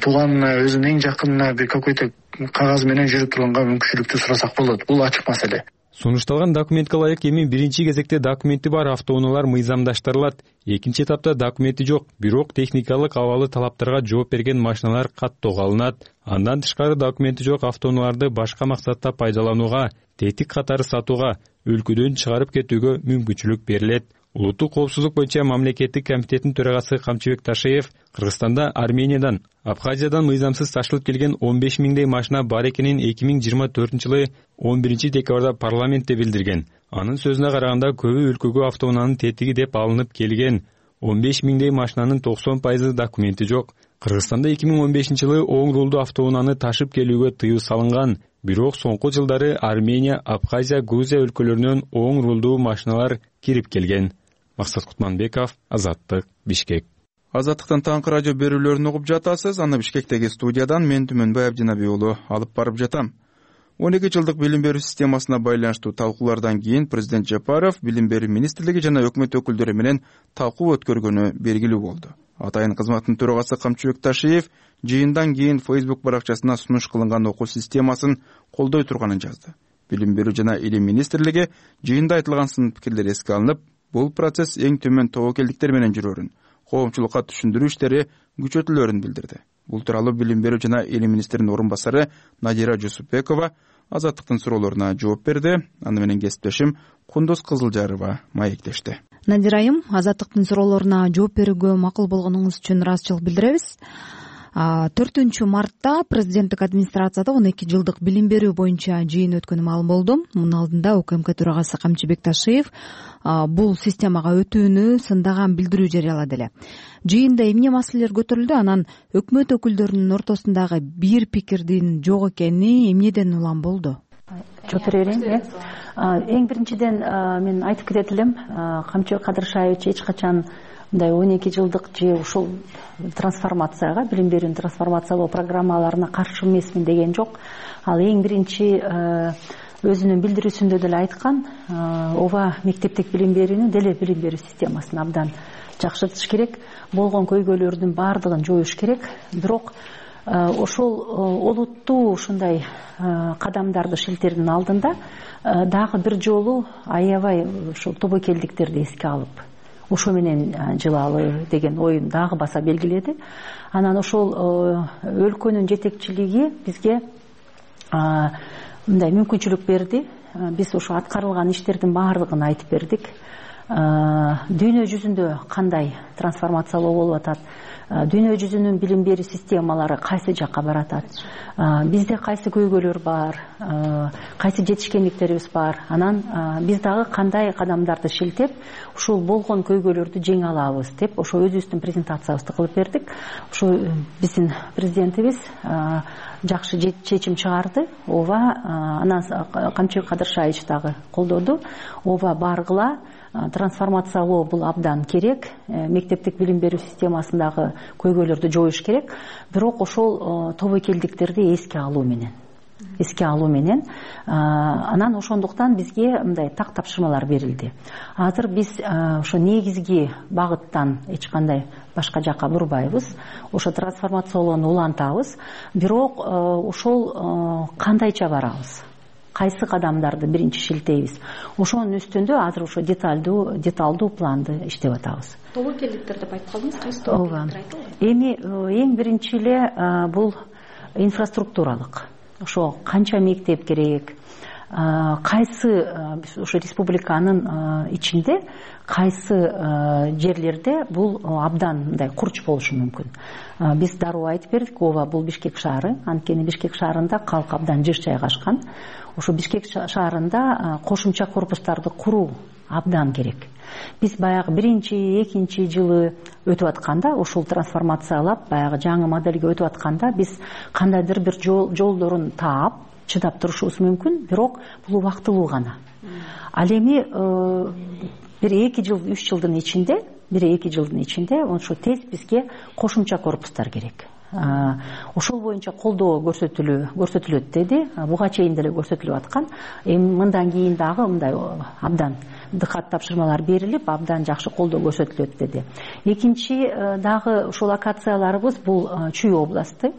тууганына, өзүнүн эң жакынына бир какой-то кагаз менен жүрүп турганга мүмкүнчүлүктү сурасак болот. Бул ачык маселе. Сунушталган документке ылайык эми биринчи кезекте документи бар автоунаалар мыйзамдаштырылат. Экинчи этапта документи жок, бирок техникалык абалы талаптарга жооп берген машиналар каттоого алынат. Андан тышкары документи жок автоунааларды башка максатта пайдаланууга, тетик катары сатууга, өлкөдөн чыгарып кетүүгө мүмкүнчүлүк берилет. Улуттук коопсуздук боюнча мамлекеттик комитеттин төрагасы Камчыбек Ташиев Кыргызстанда Армениядан, Абхазиядан мыйзамсыз ташылып келген 15 миңдей машина бар экенин 2024-жылы 11-декабрда парламентте билдирген. Анын сөзүнө караганда көбү өлкөгө автоунаанын тетиги деп алынып келген. 15 миңдей машинанын 90% документи жок. Кыргызстанда 2015-жылы оң рулдуу автоунааны ташып келүүгө тыюу салынган. Бирок соңку жылдары Армения, Абхазия, Грузия өлкөлөрүнөн оң рулдуу машиналар кирип келген. Максат Кутманбеков, Азаттык, Бишкек. Азаттыктан таңкы радио берүүлөрүн угуп жатасыз. Аны Бишкектеги студиядан мен Түмөнбай Абдинабий уулу алып барып жатам. 12 жылдык билим берүү системасына байланыштуу талкуулардан кийин президент Жапаров билим берүү министрлиги жана өкмөт өкүлдөрү менен талкуу өткөргөнү белгилүү болду. Атайын кызматтын төрагасы Камчыбек Ташиев жыйындан кийин Facebook баракчасына сунуш кылынган окуу системасын колдой турганын жазды. Билим берүү жана илим министрлиги жыйында айтылган сын пикирлер эске алынып, бул процесс эң төмөн тобокелдиктер менен жүрөөрүн, коомчулукка түшүндүрүү иштери күчөтүлөөрүн билдирди. Бул тууралуу билим берүү жана илим министринин орун басары Надира Жусупбекова Азаттыктын суроолоруна жооп берди. Аны менен кесиптешим Кундуз Кызылжарова маектешти. Надира айым, Азаттыктын суроолоруна жооп берүүгө макул болгонуңуз үчүн ыраазычылык билдиребиз. 4 мартта президенттик администрацияда 12 жылдык билим берүү боюнча жыйын өткөнү маалым болду. Мунун алдында УКМК төрагасы Камчыбек Ташиев бул системага өтүүнү сындаган билдирүү жарыялады эле. Жыйында эмне маселелер көтөрүлдү, анан өкмөт өкүлдөрүнүн ортосундагы бир пикирдин жок экени эмнеден улам болду? Жооп бере берейин. Эң биринчиден мен айтып кетет элем, Камчыбек Кадыршаевич эч качан мындай 12 жылдык же ушул трансформацияга, билим берүүнү трансформациялоо программаларына каршы эмесмин деген жок. Ал эң биринчи өзүнүн билдирүүсүндө деле айткан, ооба мектептик билим берүүнү деле билим берүү системасын абдан жакшыртыш керек, болгон көйгөйлөрдүн баардыгын жоюш керек. Бирок ошол олуттуу ушундай кадамдарды шилтердин алдында дагы бир жолу аябай ушул тобокелдиктерди эске алып, ошо менен жылалы деген оюн дагы баса белгиледи. Анан ошол өлкөнүн жетекчилиги бизге мындай мүмкүнчүлүк берди. Биз ошо аткарылган иштердин баардыгын айтып бердик. Дүйнө жүзүндө кандай трансформациялоо болуп атат, дүйнө жүзүнүн билим берүү системалары кайсы жакка баратат, бизде кайсы көйгөйлөр бар, кайсы жетишкендиктерибиз бар, анан биз дагы кандай кадамдарды шилтеп ушул болгон көйгөйлөрдү жеңе алабыз деп ошо өзүбүздүн презентациябызды кылып бердик. Ошо биздин президентибиз жакшы чечим чыгарды. Ооба, анан Камчыбек Кадыршаевич дагы колдоду. Ооба, баргыла, трансформациялоо бул абдан керек, мектептик билим берүү системасындагы көйгөйлөрдү жоюш керек. Бирок ошол тобокелдиктерди эске алуу менен анан ошондуктан бизге мындай так тапшырмалар берилди. Азыр биз ошо негизги багыттан эч кандай башка жакка бурбайбыз, ошо трансформациялоону улантабыз. Бирок ошол кандайча барабыз, кайсы кадамдарды биринчи шилтейбиз, ошонун үстүндө азыр ошо деталдуу планды иштеп атабыз. Тобокелдиктер деп айтып калдыңыз, кайсы тобокелдиктер айтылды? Эми эң биринчи эле бул инфраструктуралык. Ошо канча мектеп керек, кайсы ошо республиканын ичинде кайсы жерлерде бул абдан мындай курч болушу мүмкүн. Биз дароо айтып бердик, ооба, бул Бишкек шаары, анткени Бишкек шаарында калк абдан жыш жайгашкан. Ошо Бишкек шаарында кошумча корпустарды куруу абдан керек. Биз баягы биринчи, экинчи жылы өтүп атканда, ушул трансформациялап, баягы жаңы модельге өтүп атканда, биз кандайдыр бир жолдорун таап, чыдап турушубуз мүмкүн, бирок бул убактылуу гана. Ал эми бир 2 жыл, 3 жылдын ичинде, ошо тез бизге кошумча корпустар керек. Ошол боюнча колдоо көрсөтүлөт деди. Буга чейин деле көрсөтүлүп аткан. Эми мындан кийин дагы мындай абдан дыкат тапшырмалар берилип, абдан жакшы колдоо көрсөтүлөт деди. Экинчи дагы ушул локацияларыбыз бул Чүй областы.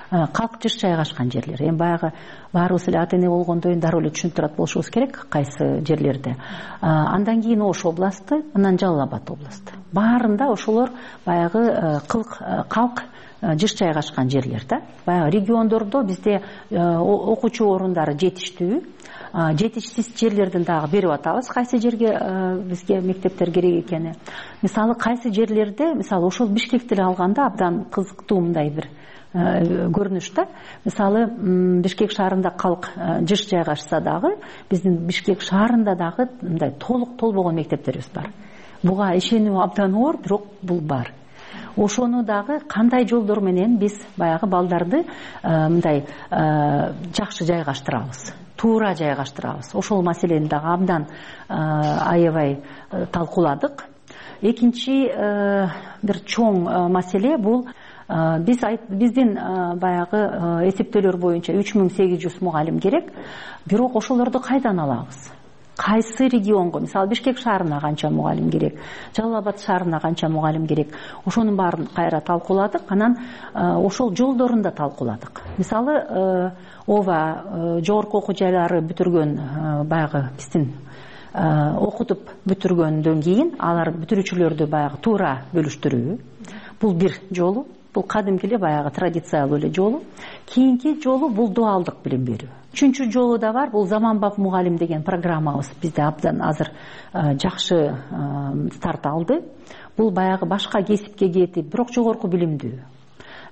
Калк жыш жайгашкан жерлер. Эми баягы баарыбыз эле ата эне болгондон кийин дароо эле түшүнүп турат болушубуз керек кайсы жерлерде. Андан кийин Ош областы, анан Жалал Абад областы. Баарында ошолор баягы калк жыш жайгашкан жерлер да. Баягы региондордо бизде окуучу орундары жетиштүү. Жетишсиз жерлерден дагы берип атабыз, кайсы жерге бизге мектептер керек экени. Мисалы кайсы жерлерде, мисалы ошол Бишкекти алганда абдан кызыктуу мындай бир көрүнүш да. Мисалы Бишкек шаарында калк жыш жайгашса дагы, биздин Бишкек шаарында дагы мындай толук толбогон мектептерибиз бар. Буга ишенүү абдан оор, бирок бул бар. Ошону дагы кандай жолдор менен биз баягы балдарды мындай жакшы жайгаштырабыз, туура жайгаштырабыз. Ошол маселени дагы абдан аябай талкууладык. Экинчи бир чоң маселе бул биздин баягы эсептөөлөр боюнча 3800 мугалим керек. Бирок ошолорду кайдан алабыз? Кайсы регионго, мисалы Бишкек шаарына канча мугалим керек, Жалал Абад шаарына канча мугалим керек, ошонун баарын кайра талкууладык. Анан ошол жолдорун да талкууладык. Мисалы ооба, жогорку окуу жайлары бүтүргөн баягы биздин окутуп бүтүргөндөн кийин алар бүтүрүүчүлөрдү баягы туура бөлүштүрүү. Бул бир жолу, бул кадимки эле баягы традициялуу эле жолу. Кийинки жолу бул дуалдык билим берүү. Үчүнчү жолу да бар, бул заманбап мугалим деген программабыз бизде абдан азыр жакшы старт алды. Бул баягы башка кесипке кетип, бирок жогорку билимдүү.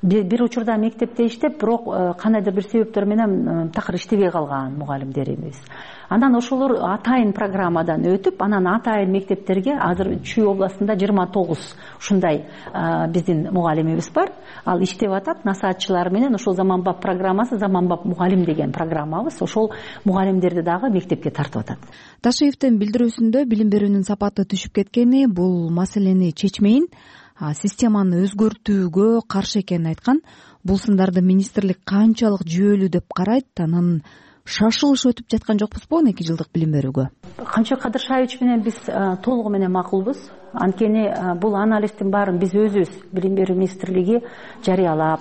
Бир учурда мектепте иштеп, бирок кандайдыр бир себептер менен такыр иштебей калган мугалимдерибиз. Анан ошолор атайын программадан өтүп, анан атайын мектептерге азыр Чүй областында 29 ушундай биздин мугалимибиз бар. Ал иштеп атат, насаатчылар менен ошол заманбап программасы, заманбап мугалим деген программабыз, ошол мугалимдерди дагы мектепке тартып атат. Ташиевдин билдирүүсүндө билим берүүнүн сапаты түшүп кеткени бул маселени чечмейин, системаны өзгөртүүгө каршы экенин айткан. Бул сындарды министрлик канчалык жүйөлүү деп карайт, анан шашылыш өтүп жаткан жокпузбу 12 жылдык билим берүүгө? Камчыбек Кадыршаевич менен биз толугу менен макулбуз. Анткени бул анализдин баарын биз өзүбүз Билим берүү министрлиги жарыялап,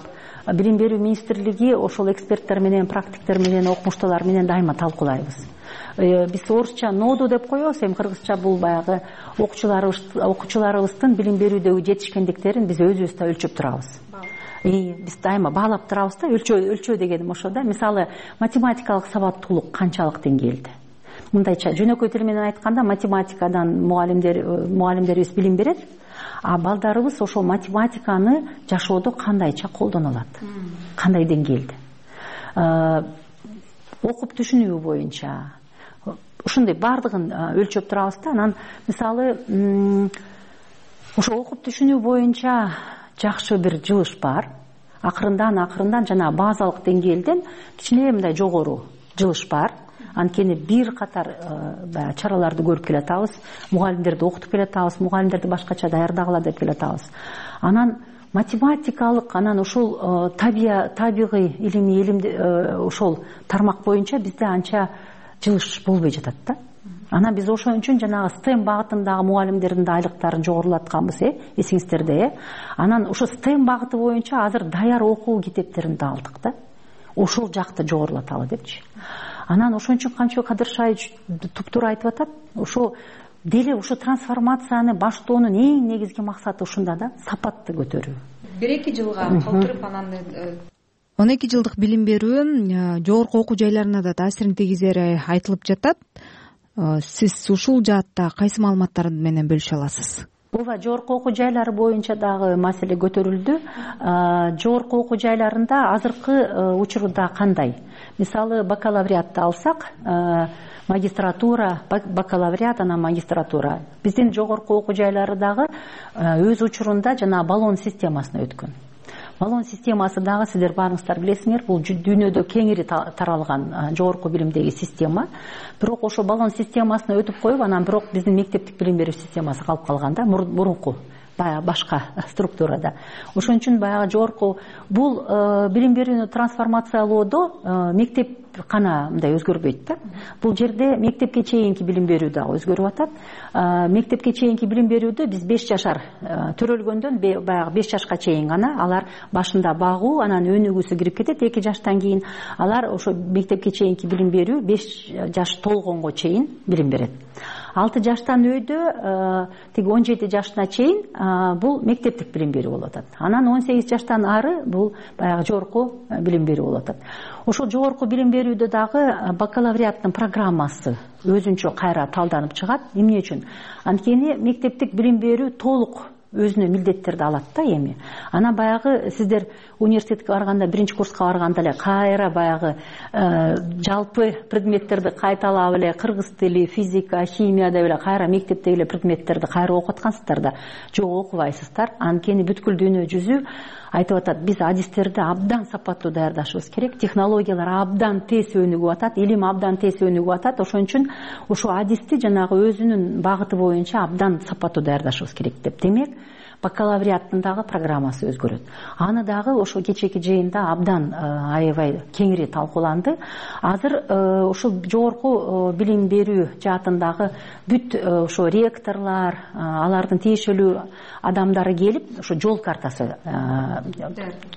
Билим берүү министрлиги ошол эксперттер менен, практиктер менен, окумуштуулар менен дайыма талкуулайбыз. Биз орусча ноду деп коебуз, эми кыргызча бул баягы окуучуларыбыздын билим берүүдөгү жетишкендиктерин биз өзүбүз да өлчөп турабыз. Биз дайыма баалап турабыз да, өлчөө дегеним ошо да. Мисалы, математикалык сабаттуулук канчалык деңгээлде? Мындайча жөнөкөй тил менен айтканда, математикадан мугалимдерибиз билим берет, а балдарыбыз ошол математиканы жашоодо кандайча колдоно алат, кандай деңгээлде? Окуп түшүнүү боюнча ушундай баардыгын өлчөп турабыз да. Анан мисалы ошо окуп түшүнүү боюнча жакшы бир жылыш бар. Акырындан жана базалык деңгээлден кичине мындай жогору жылыш бар. Анткени бир катар чараларды көрүп келатабыз, мугалимдерди окутуп келатабыз, мугалимдерди башкача даярдагыла деп келатабыз. Анан математикалык, анан ушул табигый илимди ошол тармак боюнча бизде анча жылыш болбой жатат да. Анан биз ошон үчүн жанагы STEM багытындагы мугалимдердин да айлыктарын жогорулатканбыз, эсиңиздерде. Анан ошо STEM багыты боюнча азыр даяр окуу китептерин да алдык да. Ошол жакты жогорулаталы депчи. Анан ошон үчүн Камчыбек Кадыршаевич туптуура айтып атат. Ошо деле ошо трансформацияны баштоонун эң негизги максаты ушунда да, сапатты көтөрүү. 1-2 жылга калтырып анан 12 жылдык билим берүү жогорку окуу жайларына да таасирин тийгизери айтылып жатат. Сиз ушул жаатта кайсы маалыматтар менен бөлүшө аласыз? Ооба, жогорку окуу жайлары боюнча дагы маселе көтөрүлдү. Жогорку окуу жайларында азыркы учурда кандай? Мисалы, бакалавриатты алсак, магистратура, бакалавриат, анан магистратура. Биздин жогорку окуу жайлары дагы өз учурунда жана баллон системасына өткөн. Баллон системасы дагы сиздер баарыңыздар билесиңер, бул дүйнөдө кеңири таралган жогорку билимдеги система. Бирок ошо баллон системасына өтүп коюп, анан бирок биздин мектептик билим берүү системасы калып калганда, мурунку баягы башка структурада. Ошон үчүн баягы жогорку бул билим берүүнү трансформациялоодо мектеп кана мындай өзгөрбөйт да. Бул жерде мектепке чейинки билим берүү дагы өзгөрүп атат. Мектепке чейинки билим берүүдө биз 5 жашар төрөлгөндөн баягы 5 жашка чейин гана алар башында багуу, анан өнүгүүсү кирип кетет 2 жаштан кийин. Алар ошо мектепке чейинки билим берүү 5 жаш толгонго чейин билим берет. 6 жаштан өйдө тиги 17 жашына чейин бул мектептик билим берүү болуп атат. Анан 18 жаштан ары бул баягы жогорку билим берүү болуп атат. Ошол жогорку билим берүүдө дагы бакалавриаттын программасы өзүнчө кайра талданып чыгат. Эмне үчүн? Анткени мектептик билим берүү толук өзүнө милдеттерди алат да эми. Анан баягы сиздер университетке барганда, биринчи курска барганда эле кайра баягы жалпы предметтерди кайталап эле кыргыз тили, физика, химия деп эле кайра мектептеги эле предметтерди кайра окуп аткансыздар да. Жок, окубайсыздар. Анткени бүткүл дүйнө жүзү айтып атат, биз адистерди абдан сапаттуу даярдашыбыз керек, технологиялар абдан тез өнүгүп атат, илим абдан тез өнүгүп атат. Ошон үчүн ошо адисти жанагы өзүнүн багыты боюнча абдан сапаттуу даярдашыбыз керек деп. Демек, бакалавриаттын дагы программасы өзгөрөт. Аны дагы ошо кечээки жыйында абдан аябай кеңири талкууланды. Азыр ошол жогорку билим берүү жаатындагы бүт ошо ректорлор, алардын тиешелүү адамдары келип, ошо жол картасы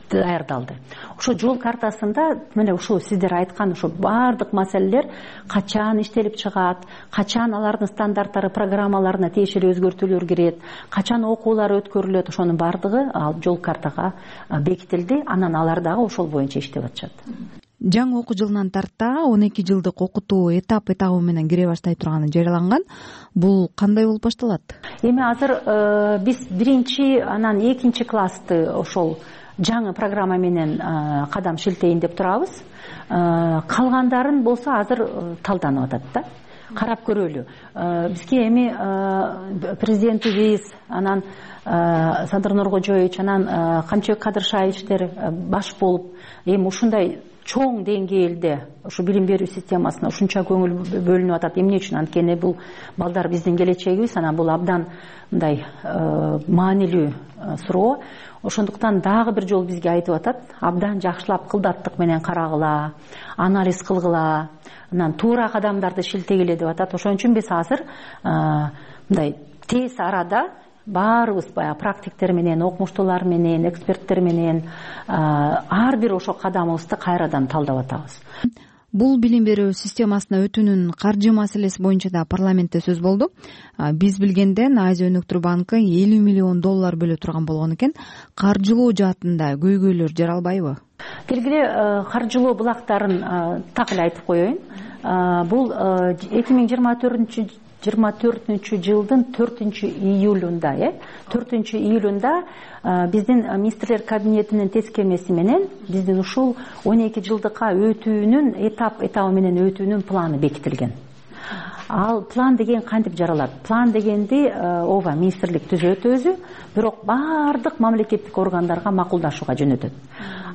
даярдалды. Ошо жол картасында мына ушул сиздер айткан ошо баардык маселелер качан иштелип чыгат, качан алардын стандарттары, программаларына тиешелүү өзгөртүүлөр кирет, качан окуулар өткөрүлөт, ошонун баардыгы жол картага бекитилди. Анан алар дагы ошол боюнча иштеп атышат. Жаңы окуу жылынан тарта 12 жылдык окутуу этап менен кире баштай турганы жарыяланган. Бул кандай болуп башталат? Эми азыр биз 1-чи, анан 2-чи классты ошол жаңы программа менен кадам шилтейин деп турабыз. Калгандарын болсо азыр талданып атат да. Карап көрөлү. Бизге эми президентибиз, анан Садыр Нуркожоевич, анан Камчыбек Кадыршаевичтер баш болуп, эми ушундай чоң деңгээлде ушу билим берүү системасына ушунча көңүл бөлүнүп атат. Эмне үчүн? Анткени бул балдар биздин келечегибиз, анан бул абдан мындай маанилүү суроо. Ошондуктан дагы бир жолу бизге айтып атат, абдан жакшылап кылдаттык менен карагыла, анализ кылгыла, анан туура кадамдарды шилтегиле деп атат. Ошон үчүн биз азыр мындай тез арада баарыбыз баягы практиктер менен, окумуштуулар менен, эксперттер менен ар бир ошо кадамыбызды кайрадан талдап атабыз. Бул билим берүү системасына өтүүнүн каржы маселеси боюнча да парламентте сөз болду. Биз билгенден Азия өнүктүрүү банкы $50 миллион бөлө турган болгон экен. Каржылоо жаатында көйгөйлөр жаралбайбы? Келгиле каржылоо булактарын так эле айтып коеюн. Бул 2024 жылдын 4-июлунда 4-июлунда биздин министрлер кабинетинин тескемеси менен биздин ушул 12 жылдыкка өтүүнүн этабы менен өтүүнүн планы бекитилген. Ал план деген кантип жаралат? План дегенди ооба министрлик түзөт өзү, бирок баардык мамлекеттик органдарга макулдашууга жөнөтөт.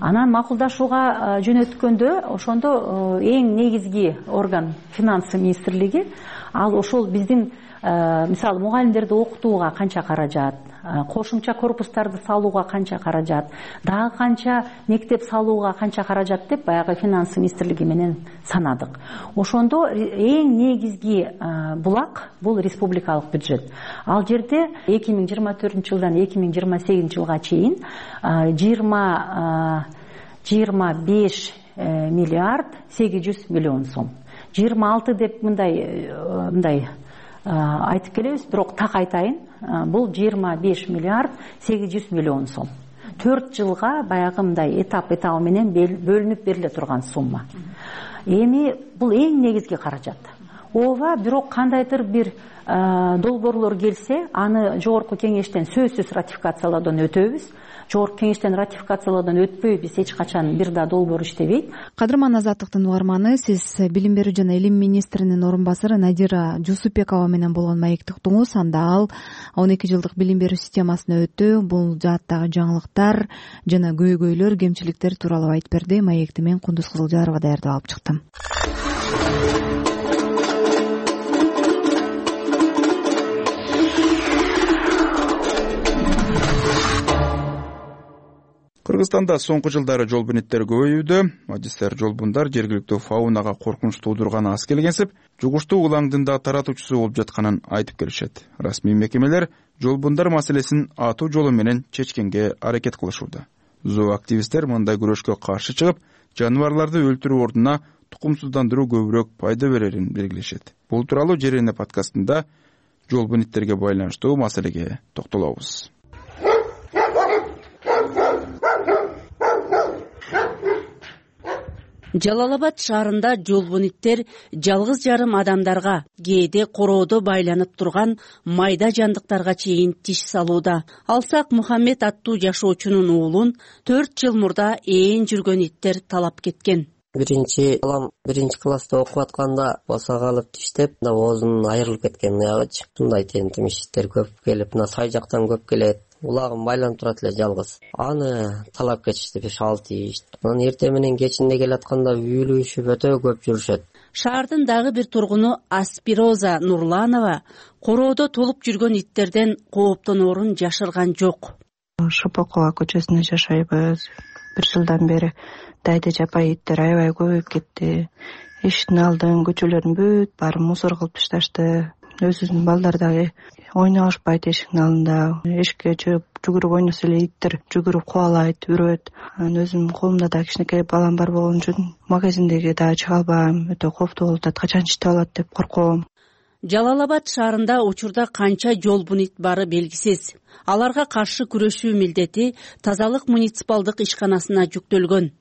Анан макулдашууга жөнөткөндө ошондо эң негизги орган финансы министрлиги, ал ошол биздин мисалы мугалимдерди окутууга канча каражат, кошумча корпустарды салууга канча каражат, дагы канча мектеп салууга канча каражат деп баягы финансы министрлиги менен санадык. Ошондо эң негизги булак бул республикалык бюджет. Ал жерде 2024 жылдан 2028 жылга чейин 25 миллиард 800 миллион сом. 26 деп мындай айтып келебиз, бирок так айтайын, бул 25 миллиард 800 миллион сом. 4 жылга баягы мындай этабы менен бөлүнүп бериле турган сумма. Эми бул эң негизги каражат. Ооба, бирок кандайдыр бир долбоорлор келсе, аны жогорку кеңештен сөзсүз ратификациялоодон өтөбүз. Жогорку кеңештен ратификациялоодон өтпөй биз эч качан бир да долбоор иштебейт. Кадырман Азаттыктын угарманы, сиз билим берүү жана илим министринин орун басары Надира Жусупбекова менен болгон маекти уктуңуз. Анда ал 12 жылдык билим берүү системасына өтүү, бул жааттагы жаңылыктар жана көйгөйлөр, кемчиликтер тууралуу айтып берди. Маекти мен Кундуз Кызылжарова даярдап алып чыктым. Кыргызстанда соңку жылдары жолбунеттер көбөйүүдө. Адистер жолбундар жергиликтүү фаунага коркунуч туудурганы аз келгенсип, жугуштуу улаңдын да таратуучусу болуп жатканын айтып келишет. Расмий мекемелер жолбундар маселесин атуу жолу менен чечкенге аракет кылышууда. Зооактивисттер мындай күрөшкө каршы чыгып, жаныбарларды өлтүрүү ордуна тукумсуздандыруу көбүрөөк пайда берерин белгилешет. Бул тууралуу Жерене подкастында жолбунеттерге байланыштуу маселеге токтолобуз. Жалал Абад шаарында жолбунеттер жалгыз жарым адамдарга, кээде короодо байланып турган майда жандыктарга чейин тиш салууда. Алсак Мухаммед аттуу жашоочунун уулун 4 жыл мурда ээн жүргөн иттер талап кеткен. Биринчи балам 1-класста окуп атканда босо калып тиштеп, оозунун айрылып кеткен аягычы. Мындай тентимиштер көп келип, сай жактан көп келет. Улагым байланып турат эле жалгыз. Аны талап кетишти 5-6 тиш. Анан эртең менен кечинде келатканда үйлүшүп өтө көп жүрүшөт. Шаардын дагы бир тургуну Аспироза Нурланова короодо толуп жүргөн иттерден кооптоноорун жашырган жок. Шопокова көчөсүндө жашайбыз. 1 жылдан бери дайда жапай иттер аябай көбөйүп кетти. Эшиктин алдын, көчөлөрүн бүт баары мусор кылып ташташты. Өзүнүн балдар дагы ойношпайт эшиктин алдында. Эшикке жүгүрүп ойносо эле иттер жүгүрүп кубалайт, үрөт. Анан өзүмдүн колумда да кичинекей балам бар болгон үчүн магазиндеги дагы чыга албайм. Өтө кооптуу болуп атат, качан читип алат деп корком. Жалал Абад шаарында учурда канча жолбунет бары белгисиз. Аларга каршы күрөшүү милдети тазалык муниципалдык ишканасына жүктөлгөн.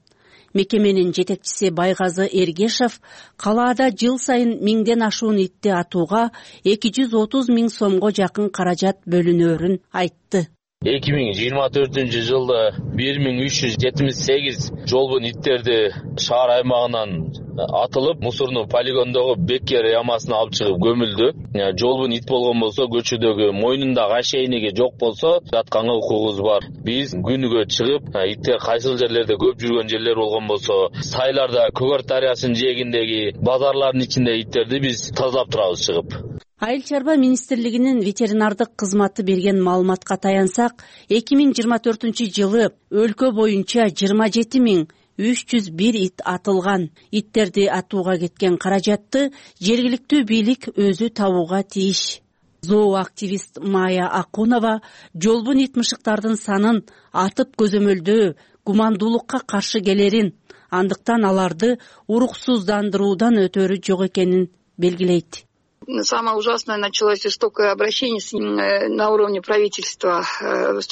Мекеменин жетекчиси Байгазы Эргешев калаада жыл сайын 1000ден ашуун итти атууга 230 000 сомго жакын каражат бөлүнөөрүн айтты. 2024-жылда 1378 жолбун иттерди шаар аймагынан атылып, мусорный полигондогу Беккер ямасына алып чыгып көмүлдү. Жолбун ит болгон болсо, көчөдөгү мойнундагы ошейниги жок болсо, атканга укугубуз бар. Биз күнүгө чыгып, иттер кайсыл жерлерде көп жүргөн жерлер болгон болсо, сайларда, Көгөр дарыясынын жээгиндеги базарлардын ичинде иттерди биз тазалап турабыз чыгып. Айыл чарба министрлигинин ветеринардык кызматы берген маалыматка таянсак, 2024-жылы өлкө боюнча 27.301 ит атылган. Иттерди атууга кеткен каражатты жергиликтүү бийлик өзү табууга тийиш. Зооактивист Майя Акунова жолбун ит мышыктардын санын атып көзөмөлдөө гумандуулукка каршы келерин, андыктан аларды уруксуздандыруудан өтөрү жок экенин белгилейт. Самое ужасное началось жестокое обращение на уровне правительства,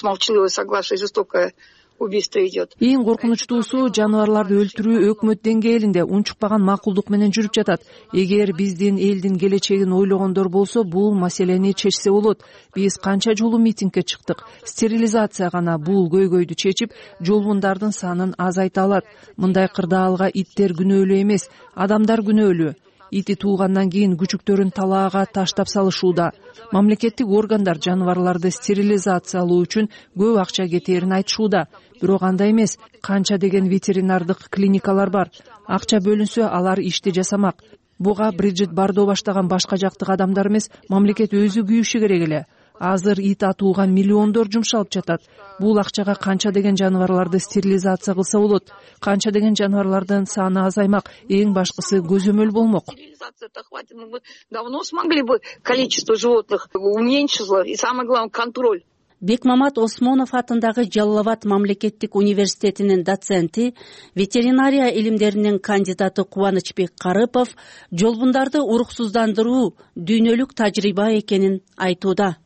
молчаливое согласие, жестокое убийство идет. Эң коркунучтуусу жаныбарларды өлтүрүү өкмөт деңгээлинде унчукпаган макулдук менен жүрүп жатат. Эгер биздин элдин келечегин ойлогондор болсо, бул маселени чечсе болот. Биз канча жолу митингге чыктык. Стерилизация гана бул көйгөйдү чечип, жолбундардын санын азайта алат. Мындай кырдаалга иттер күнөөлүү эмес, адамдар күнөөлүү. Ити туугандан кийин күчүктөрүн талаага таштап салышууда. Мамлекеттик органдар жаныбарларды стерилизациялоо үчүн көп акча кетээрин айтышууда. Бирок андай эмес, канча деген ветеринардык клиникалар бар. Акча бөлүнсө, алар ишти жасамак. Буга Бриджит Бардо баштаган башка жактык адамдар эмес, мамлекет өзү күйүшү керек эле. Азыр ит атууга миллиондор жумшалып жатат. Бул акчага канча деген жаныбарларды стерилизация кылса болот, канча деген жаныбарлардын саны азаймак, эң башкысы көзөмөл болмок. Мы давно смогли бы количество животных уменьшить, и самое главное контроль. Бекмамат Осмонов атындагы Жалал Абад мамлекеттик университетинин доценти, ветеринария илимдеринин кандидаты Кубанычбек Карыпов жолбундарды уруксуздандыруу дүйнөлүк тажрыйба экенин айтууда.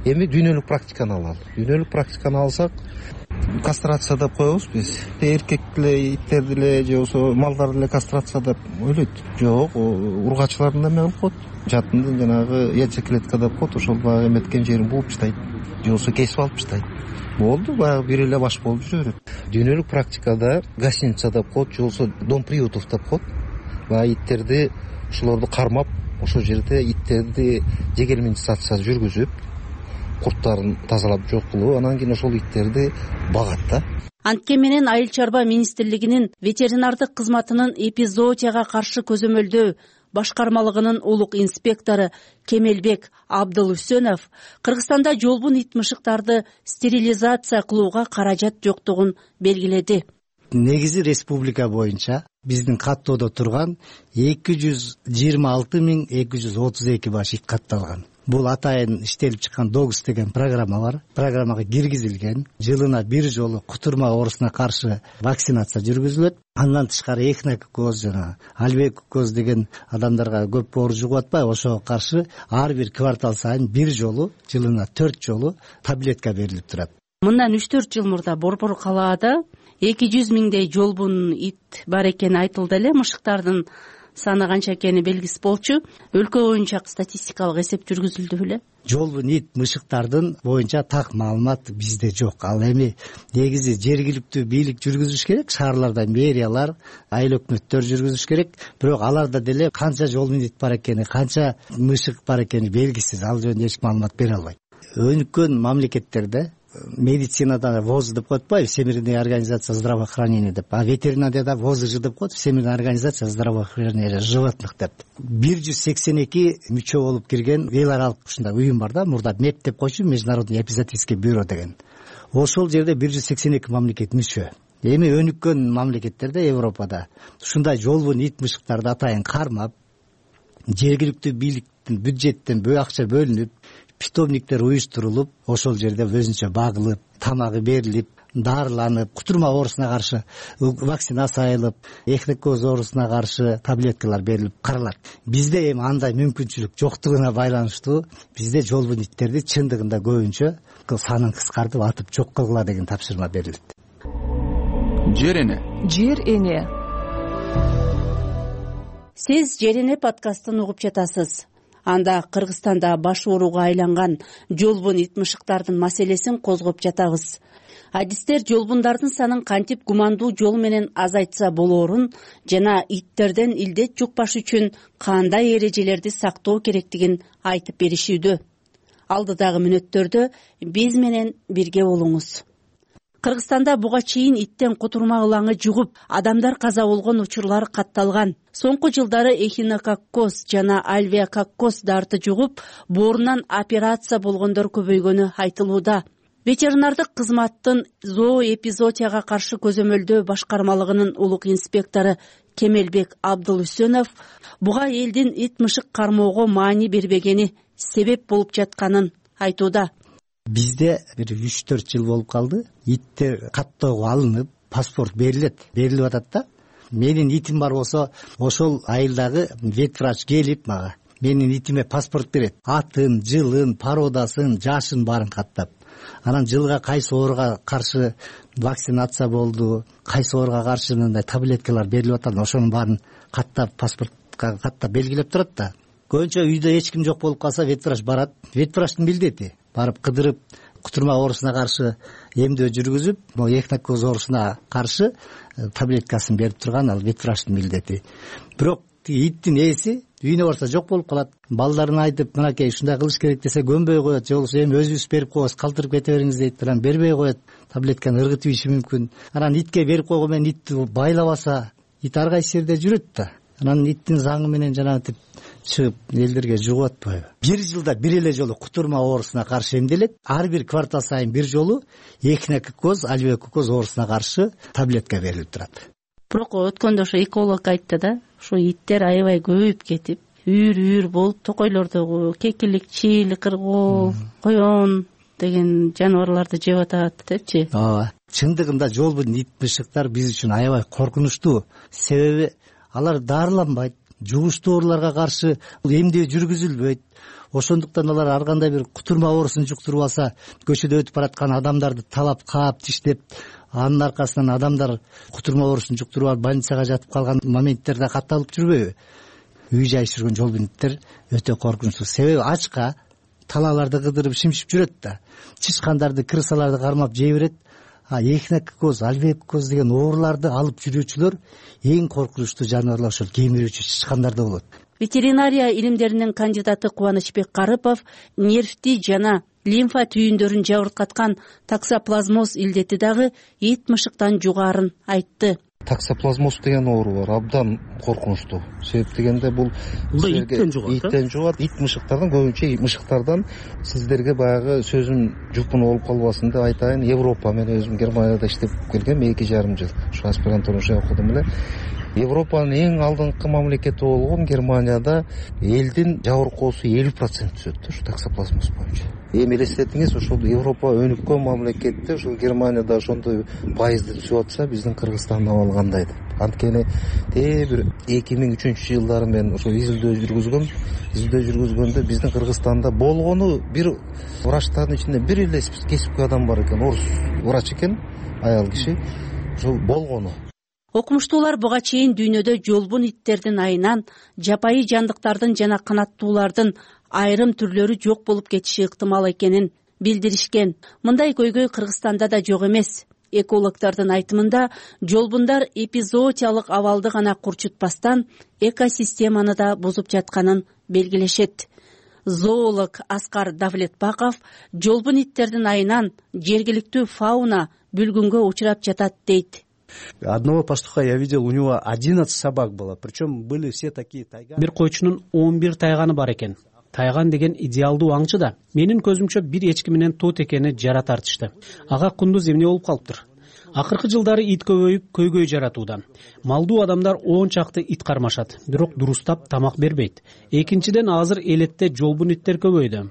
Эми дүйнөлүк практиканы алалы. Дүйнөлүк практиканы алсак, кастрация деп коебуз биз. Эркек деле, иттер деле, же болбосо малдар деле кастрация деп ойлойт. Жок, ургачылардын да эме кылып коет. Жатындын жанагы яйцеклетка деп коет, ошол баягы эметкен жерин бууп таштайт. Же болбосо кесип алып таштайт. Болду, баягы бир эле баш болуп жүрө берет. Дүйнөлүк практикада гостиница деп коет, же болбосо дом приютов деп коет. Баягы иттерди ошолорду кармап, ошол жерде иттерди жегерментизация жүргүзүп, курттарын тазалап жок кылып, анан кийин ошол иттерди багат да. Антке менен Айыл чарба министрлигинин ветеринардык кызматынын эпизоотияга каршы көзөмөлдөө башкармалыгынын улук инспектору Кемелбек Абдылүсөнов Кыргызстанда жолбун ит мышыктарды стерилизация кылууга каражат жоктугун белгиледи. Негизи республика боюнча биздин каттоодо турган 226.232 баш ит катталган. Бул атайын иштелип чыккан Догс деген программа бар. Программага киргизилген. Жылына бир жолу кутурма оорусуна каршы вакцинация жүргүзүлөт. Андан тышкары эхинококоз жана альвеококоз деген адамдарга көп оор жугуп атпайбы, ошого каршы ар бир квартал сайын бир жолу, жылына 4 жолу таблетка берилип турат. Мындан 3-4 жыл мурда Борбор калаада 200 миңдей жолбун ит бар экени айтылды эле. Мышыктардын саны канча экени белгисиз болчу. Өлкө боюнча статистикалык эсеп жүргүзүлдү беле? Жолбун ит мышыктардын боюнча так маалымат бизде жок. Ал эми негизи жергиликтүү бийлик жүргүзүш керек, шаарларда мэриялар, айыл өкмөттөр жүргүзүш керек. Бирок аларда деле канча жолбун ит бар экени, канча мышык бар экени белгисиз. Ал жөнүндө эч маалымат бере албайт. Өнүккөн мамлекеттерде медицинада ВОЗ деп коет атпайбы, Всемирная организация здравоохранения деп, а ветеринарияда ВОЗЖ деп коет, Всемирная организация здравоохранения животных деп. 182 мүчө болуп кирген эл аралык ушундай уюм бар да, мурда МЕП деп койчу, Международный эпизоотический бюро деген. Ошол жерде 182 мамлекет мүчө. Эми өнүккөн мамлекеттерде, Европада ушундай жолбун ит мышыктарды атайын кармап, жергиликтүү бийликтин бюджеттен акча бөлүнүп, питомниктер уюштурулуп, ошол жерде өзүнчө багылып, тамагы берилип, дарыланып, кутурма оорусуна каршы вакцинация айылып, эхинококоз оорусуна каршы таблеткалар берилип каралат. Бизде эми андай мүмкүнчүлүк жоктугуна байланыштуу, бизде жолбун иттерди чындыгында көбүнчө санын кыскартып атып жок кылгыла деген тапшырма берилет. Жер эне. Жер эне. Сиз Жер эне подкастын угуп жатасыз. Анда Кыргызстанда баш ооруга айланган жолбун ит мышыктардын маселесин козгоп жатабыз. Адистер жолбундардын санын кантип гумандуу жол менен азайтса болоорун жана иттерден илдет жукпаш үчүн кандай эрежелерди сактоо керектигин айтып беришүүдө. Алдыдагы мүнөттөрдө биз менен бирге болуңуз. Кыргызстанда буга чейин иттен кутурма ылаңы жугуп, адамдар каза болгон учурлар катталган. Соңку жылдары эхинококкоз жана альвеококкоз дарты жугуп, боорунан операция болгондор көбөйгөнү айтылууда. Ветеринардык кызматтын зооэпизоотияга каршы көзөмөлдөө башкармалыгынын улук инспектору Кемелбек Абдулүсөнов буга элдин ит мышык кармоого маани бербегени себеп болуп жатканын айтууда. Бизде бир 3-4 жыл болуп калды. Иттер каттоого алынып, паспорт берилип атат да. Менин итим бар болсо, ошол айылдагы ветврач келип мага менин итиме паспорт берет. Атын, жылын, породасын, жашын баарын каттап. Анан жылга кайсы ооруга каршы вакцинация болду, кайсы ооруга каршы мындай таблеткалар берилип атат, ошонун баарын каттап, паспортко каттап белгилеп турат да. Көбүнчө үйдө эч ким жок болуп калса, ветврач барат. Ветврачтын милдети барып кыдырып, кутурма оорусуна каршы эмдөө жүргүзүп, могу эхинококкоз оорусуна каршы таблеткасын берип турган ал ветврачтын милдети. Бирок иттин ээси үйүнө барса жок болуп калат. Балдарына айтып, мынакей ушундай кылыш керек десе көнбөй коет, же болбосо эми өзүбүз берип коебуз, калтырып кете бериңиз дейт, анан бербей коет, таблетканы ыргытып ийиши мүмкүн. Анан итке берип койгон менен итти байлабаса, ит ар кайсы жерде жүрөт да. Анан иттин заңы менен жанагынтип чыгып элдерге жугуп атпайбы? Бир жылда бир эле жолу кутурма оорусуна каршы эмделет. Ар бир квартал сайын бир жолу эхинококкоз, альвеококкоз оорусуна каршы таблетка берилип турат. Бирок өткөндө ошо эколог айтты да, ушу иттер аябай көбөйүп кетип, үйүр болуп, токойлордогу кекилик, чийл, кыргоо, коён деген жаныбарларды жеп атат депчи. Ооба. Чындыгында жолбун ит мышыктар биз үчүн аябай коркунучтуу. Себеби алар дарыланбайт, жугуштуу ооруларга каршы эмдөө жүргүзүлбөйт. Ошондуктан алар ар кандай бир кутурма оорусун жуктуруп алса, көчөдө өтүп бараткан адамдарды талап, каап, тиштеп, анын аркасынан адамдар кутурма оорусун жуктуруп алып больницага жатып калган моменттерде катталып жүрбөйбү? Үй жайшырган жолбун иттер өтө коркунучтуу. Себеби ачка талааларды кыдырып шимшип жүрөт да. Чычкандарды, крысаларды кармап жей берет. Эхинококкоз, альвеококкоз деген ооруларды алып жүрүүчүлөр эң коркунучтуу жаныбарлар ошол кемирүүчү чычкандарда болот. Ветеринария илимдеринин кандидаты Кубанычбек Карыпов нервти жана лимфа түйүндөрүн жабыркаткан таксоплазмоз илдети дагы ит мышыктан жугаарын айтты. Таксоплазмоз деген оору бар, абдан коркунучтуу. Себеп дегенде бул иттен жугат. Ит мышыктардан, көбүнчө мышыктардан сиздерге баягы сөзүм жупун болуп калбасын деп айтайын. Европа, мен өзүм Германияда иштеп келгем 2,5 жыл. Ушу аспирантура окудум эле. Европанын эң алдыңкы мамлекети болгон Германияда элдин жабыркоосу 50% түзөт ушу таксоплазмоз боюнча. Эми элестетиңиз, ошол Европа өнүккөн мамлекетте ошол Германияда ошондой пайызды түзүп атса, биздин Кыргызстандын абалы кандай деп. Анткени бир 2003 жылдары мен ошо изилдөө жүргүзгөндө биздин Кыргызстанда болгону бир врачтардын ичинде бир эле кесипкөй адам бар экен, орус врач экен, аял киши. Ошол болгону. Окумуштуулар буга чейин дүйнөдө жолбун иттердин айынан жапайы жандыктардын жана канаттуулардын айрым түрлөрү жок болуп кетиши ыктымал экенин билдиришкен. Мындай көйгөй Кыргызстанда да жок эмес. Экологдордун айтымында жолбундар эпизоотиялык абалды гана курчутпастан экосистеманы да бузуп жатканын белгилешет. Зоолог Аскар Давлетбаков жолбун иттердин айынан жергиликтүү фауна бүлгүнгө учурап жатат дейт. Одного пастуха я видел, у него 11 собак было, причем были все такие тайганы. Бир койчунун 11 тайганы бар экен. Тайган деген идеалдуу аңчы да. Менин көзүмчө бир эчки менен тот экени жара тартышты. Ага кундуз эмне болуп калыптыр? Акыркы жылдары ит көбөйүп, көйгөй жаратууда. Малдуу адамдар 10 чакты ит кармашат, бирок дурустап тамак бербейт. Экинчиден, азыр элетте жолбун иттер көбөйдү.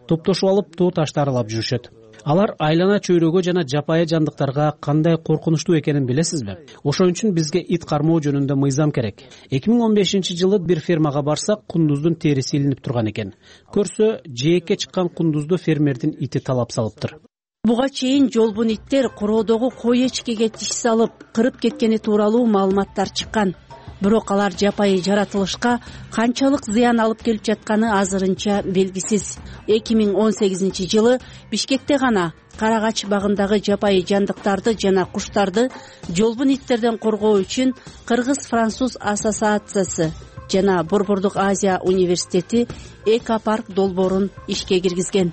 Топтошуп алып, тоо таштарылап жүрүшөт. Алар айлана чөйрөгө жана жапайы жандыктарга кандай коркунучтуу экенин билесизби? Ошон үчүн бизге ит кармоо жөнүндө мыйзам керек. 2015 жылы бир фермага барсак, кундуздун териси илинип турган экен. Көрсө, жээкке чыккан кундузду фермердин ити талап салыптыр. Буга чейин жолбун иттер короодогу кой эчкеге тиш салып, кырып кеткени тууралуу маалыматтар чыккан. бирок алар жапайы жаратылышка канчалык зыян алып келип жатканы азырынча белгисиз. 2018-жылы Бишкекте гана Карагач багындагы жапайы жандыктарды жана куштарды жолбун иттерден коргоо үчүн Кыргыз-Француз ассоциациясы жана Борбордук Азия университети экопарк долбоорун ишке киргизген.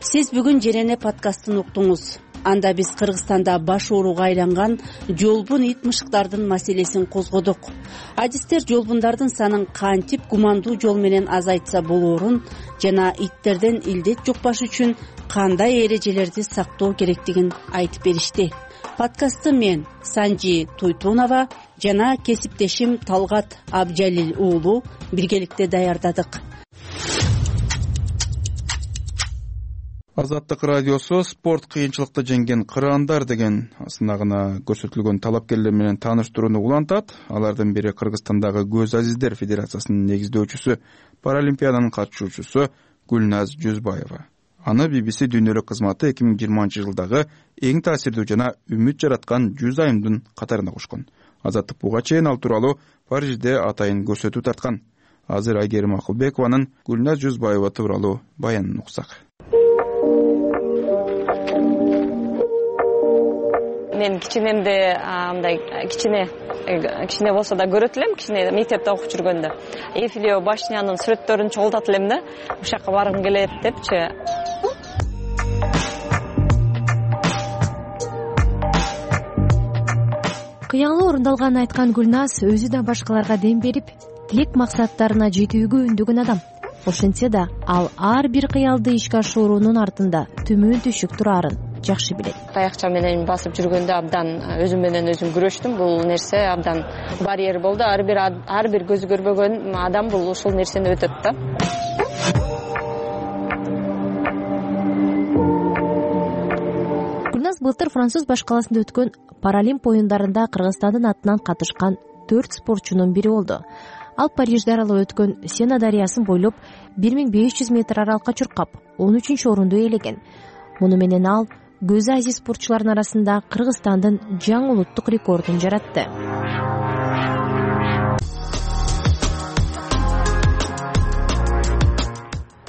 Сиз бүгүн Жерене подкастын уктуңуз. Анда биз Кыргызстанда баш ооруга айланган жолбун ит мышыктардын маселесин козгодук. Адистер жолбундардын санын кантип гумандуу жол менен азайтса болоорун жана иттерден илдет жукпаш үчүн кандай эрежелерди сактоо керектигин айтып беришти. Подкастты мен Санжи Туйтунова жана кесиптешим Талгат Абжалил уулу биргеликте даярдадык. Азаттык радиосу спорт кыйынчылыкты жеңген кыраандар деген сынагына көрсөтүлгөн талапкерлер менен тааныштырууну улантат. Алардын бири Кыргызстандагы Көз Азиздер Федерациясынын негиздөөчүсү, паралимпиаданын катышуучусу Гүлназ Жүзбаева. Аны BBC дүйнөлүк кызматы 2020-жылдагы эң таасирдүү жана үмүт жараткан 100 айымдын катарына кошкон. Азаттык буга чейин ал тууралуу Парижде атайын көрсөтүү тарткан. Азыр Айгерим Акылбекованын Гүлназ Жүзбаева тууралуу баянын уксак. Мен кичинемде мындай кичине болсо да көрөт элем, кичине мектепте окуп жүргөндө. Эйфелева башнянын сүрөттөрүн чогултат элем да, ушакка баргым келет депчи. Кыялы орундалганын айткан Гүлназ өзү да башкаларга дем берип, тилек максаттарына жетүүгө үндөгөн адам. Ошентсе да, ал ар бир кыялды ишке ашыруунун артында төмөн түшүк турарын жакшы билет. Таякча менен басып жүргөндө абдан өзүм менен өзүм күрөштүм. Бул нерсе абдан барьер болду. Ар бир көзү көрбөгөн адам бул ушул нерсени өтөт да. Гүлназ былтыр Француз баш каласында өткөн Паралимп оюндарында Кыргызстандын атынан катышкан 4 спортчунун бири болду. Ал Парижде аралап өткөн Сена дарыясын бойлоп 1500 метр аралыкка чуркап 13-орунду ээлеген. Муну менен ал Көз Азиз спортчулардын арасында Кыргызстандын жаңы улуттук рекордун жаратты.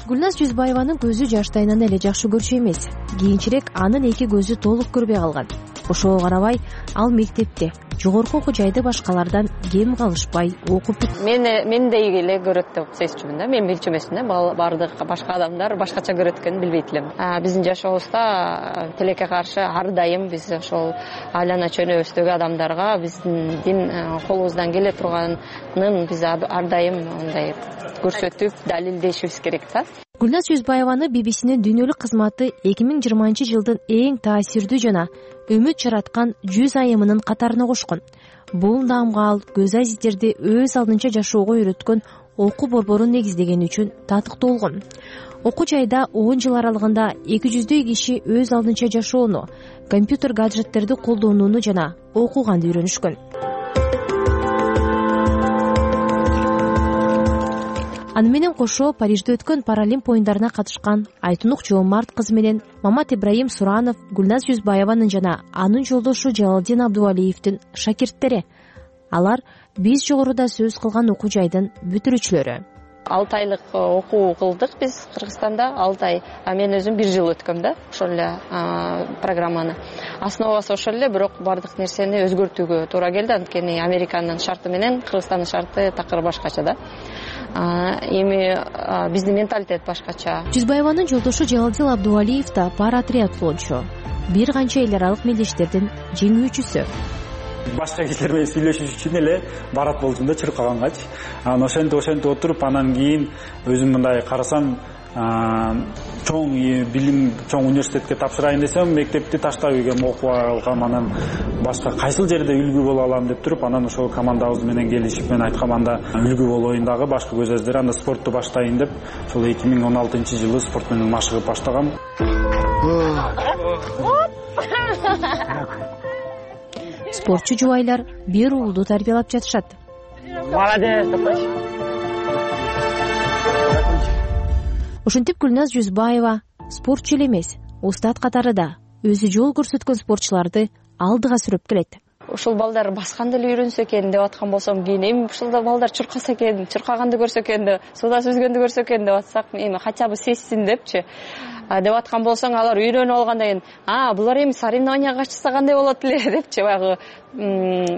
Гүлназ Жүзбаеванын көзү жаштайынан эле жакшы көрчү эмес. Кийинчерээк анын эки көзү толук көрбөй калган. Ошого карабай, ал мектепте, жогорку окуу жайды башкалардан кем калышпай окуп бүт. Мендей эле көрөт деп сезчүмүн да. Мен билчү эмесмин да. Бардык башка адамдар башкача көрөт экенин билбейт элем. Биздин жашообузда тилекке каршы ар дайым биз ошол айлана чөнөбүздөгү адамдарга биздин колубуздан келе турганын биз ар дайым мындай көрсөтүп, далилдешибиз керек да. Гүлназ Жүзбаеваны BBC'нин дүйнөлүк кызматы 2020-жылдын эң таасирдүү жана үмүт жараткан 100 айымынын катарына кошкон. Бул наамга ал Көз Азиздерди өз алдынча жашоого үйрөткөн окуу борборун негиздегени үчүн татыктуу болгон. Окуу жайда 10 жыл аралыгында 200 киши өз алдынча жашоону, компьютер гаджеттерди колдонууну жана окуганды үйрөнүшкөн. Аны менен кошо Парижде өткөн Паралимп оюндарына катышкан Айтунук Жоомарт кызы менен Мамат Ибраим Суранов Гүлназ Жүзбаеванын жана анын жолдошу Жалалдин Абдувалиевдин шакирттери. Алар биз жогоруда сөз кылган окуу жайдын бүтүрүүчүлөрү. 6 айлык окуу кылдык биз Кыргызстанда. 6 ай. Мен өзүм 1 жыл өткөм да ошол эле программаны. Основасы ошол эле, бирок бардык нерсени өзгөртүүгө туура келди. Анткени Американын шарты менен Кыргызстандын шарты такыр башкача да. Эми биздин менталитет башкача. Жүзбаеванын жолдошу Жалалдин Абдувалиев да пара триатлончу. Бир канча эл аралык мелдештердин жеңүүчүсү. Башка кишилер менен сүйлөшүш үчүн эле барат болчумун да чуркагангач. Ошентип отуруп анан кийин өзүм мындай карасам, чоң билим, чоң университетке тапшырайын десем, мектепти таштап ийгем, окуп алгам. Анан башка кайсыл жерде үлгү боло алам деп туруп, анан ошол командабыз менен келишип мен айткам, анда үлгү болоюн дагы башка Көз Азиздер, анда спортту баштайын деп, ошол 2016-жылы спорт менен машыгып баштагам. Спортчу жубайлар бир уулду тарбиялап жатышат. Молодец. Ошентип Гүлназ Жүзбаева спортчу эле эмес, устат катары да өзү жол көрсөткөн спортчуларды алдыга сүрөп келет. ушул балдар басканды эле үйрөнсө экен деп аткан болсом, кийин эми ушул балдар чуркаса экен, чуркаганды көрсө экен деп, суда сүзгөндү көрсө экен деп атсак, эми хотя бы сезсин депчи деп аткан болсоң, алар үйрөнүп алгандан кийин булар эми соревнованияга катышса кандай болот эле депчи баягы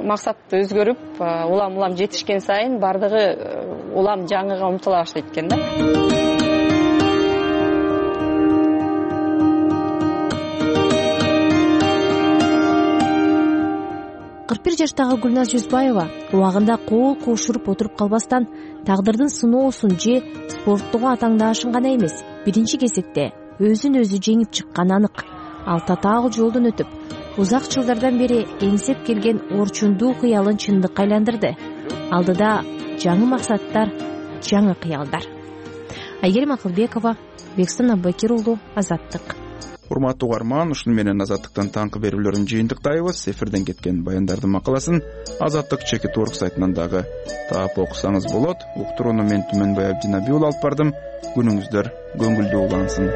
максатты өзгөрүп, улам жетишкен сайын бардыгы улам жаңыга умтула баштайт экен да. 41 жаштагы Гүлназ Жүзбаева убагында кол кошуруп отуруп калбастан, тагдырдын сыноосун же спорттогу атаңдаашын гана эмес, биринчи кезекте өзүн өзү жеңип чыкканы анык. Ал татаал жолдон өтүп, узак жылдардан бери эңсеп келген орчундуу кыялын чындыкка айландырды. Алдыда жаңы максаттар, жаңы кыялдар. Айгерим Акылбекова, Бекстан Аббакир уулу, Азаттык. Урматтуу угарман, ушуну менен Азаттыктан таңкы берүүлөрүн жыйынтыктайбыз. Эфирден кеткен баяндардын макаласын Азаттык чекит орг сайтынан дагы таап окусаңыз болот. Уктурууну мен Түмөнбай Абдинабиул алып бардым. Күнүңүздөр көңүлдүү улансын.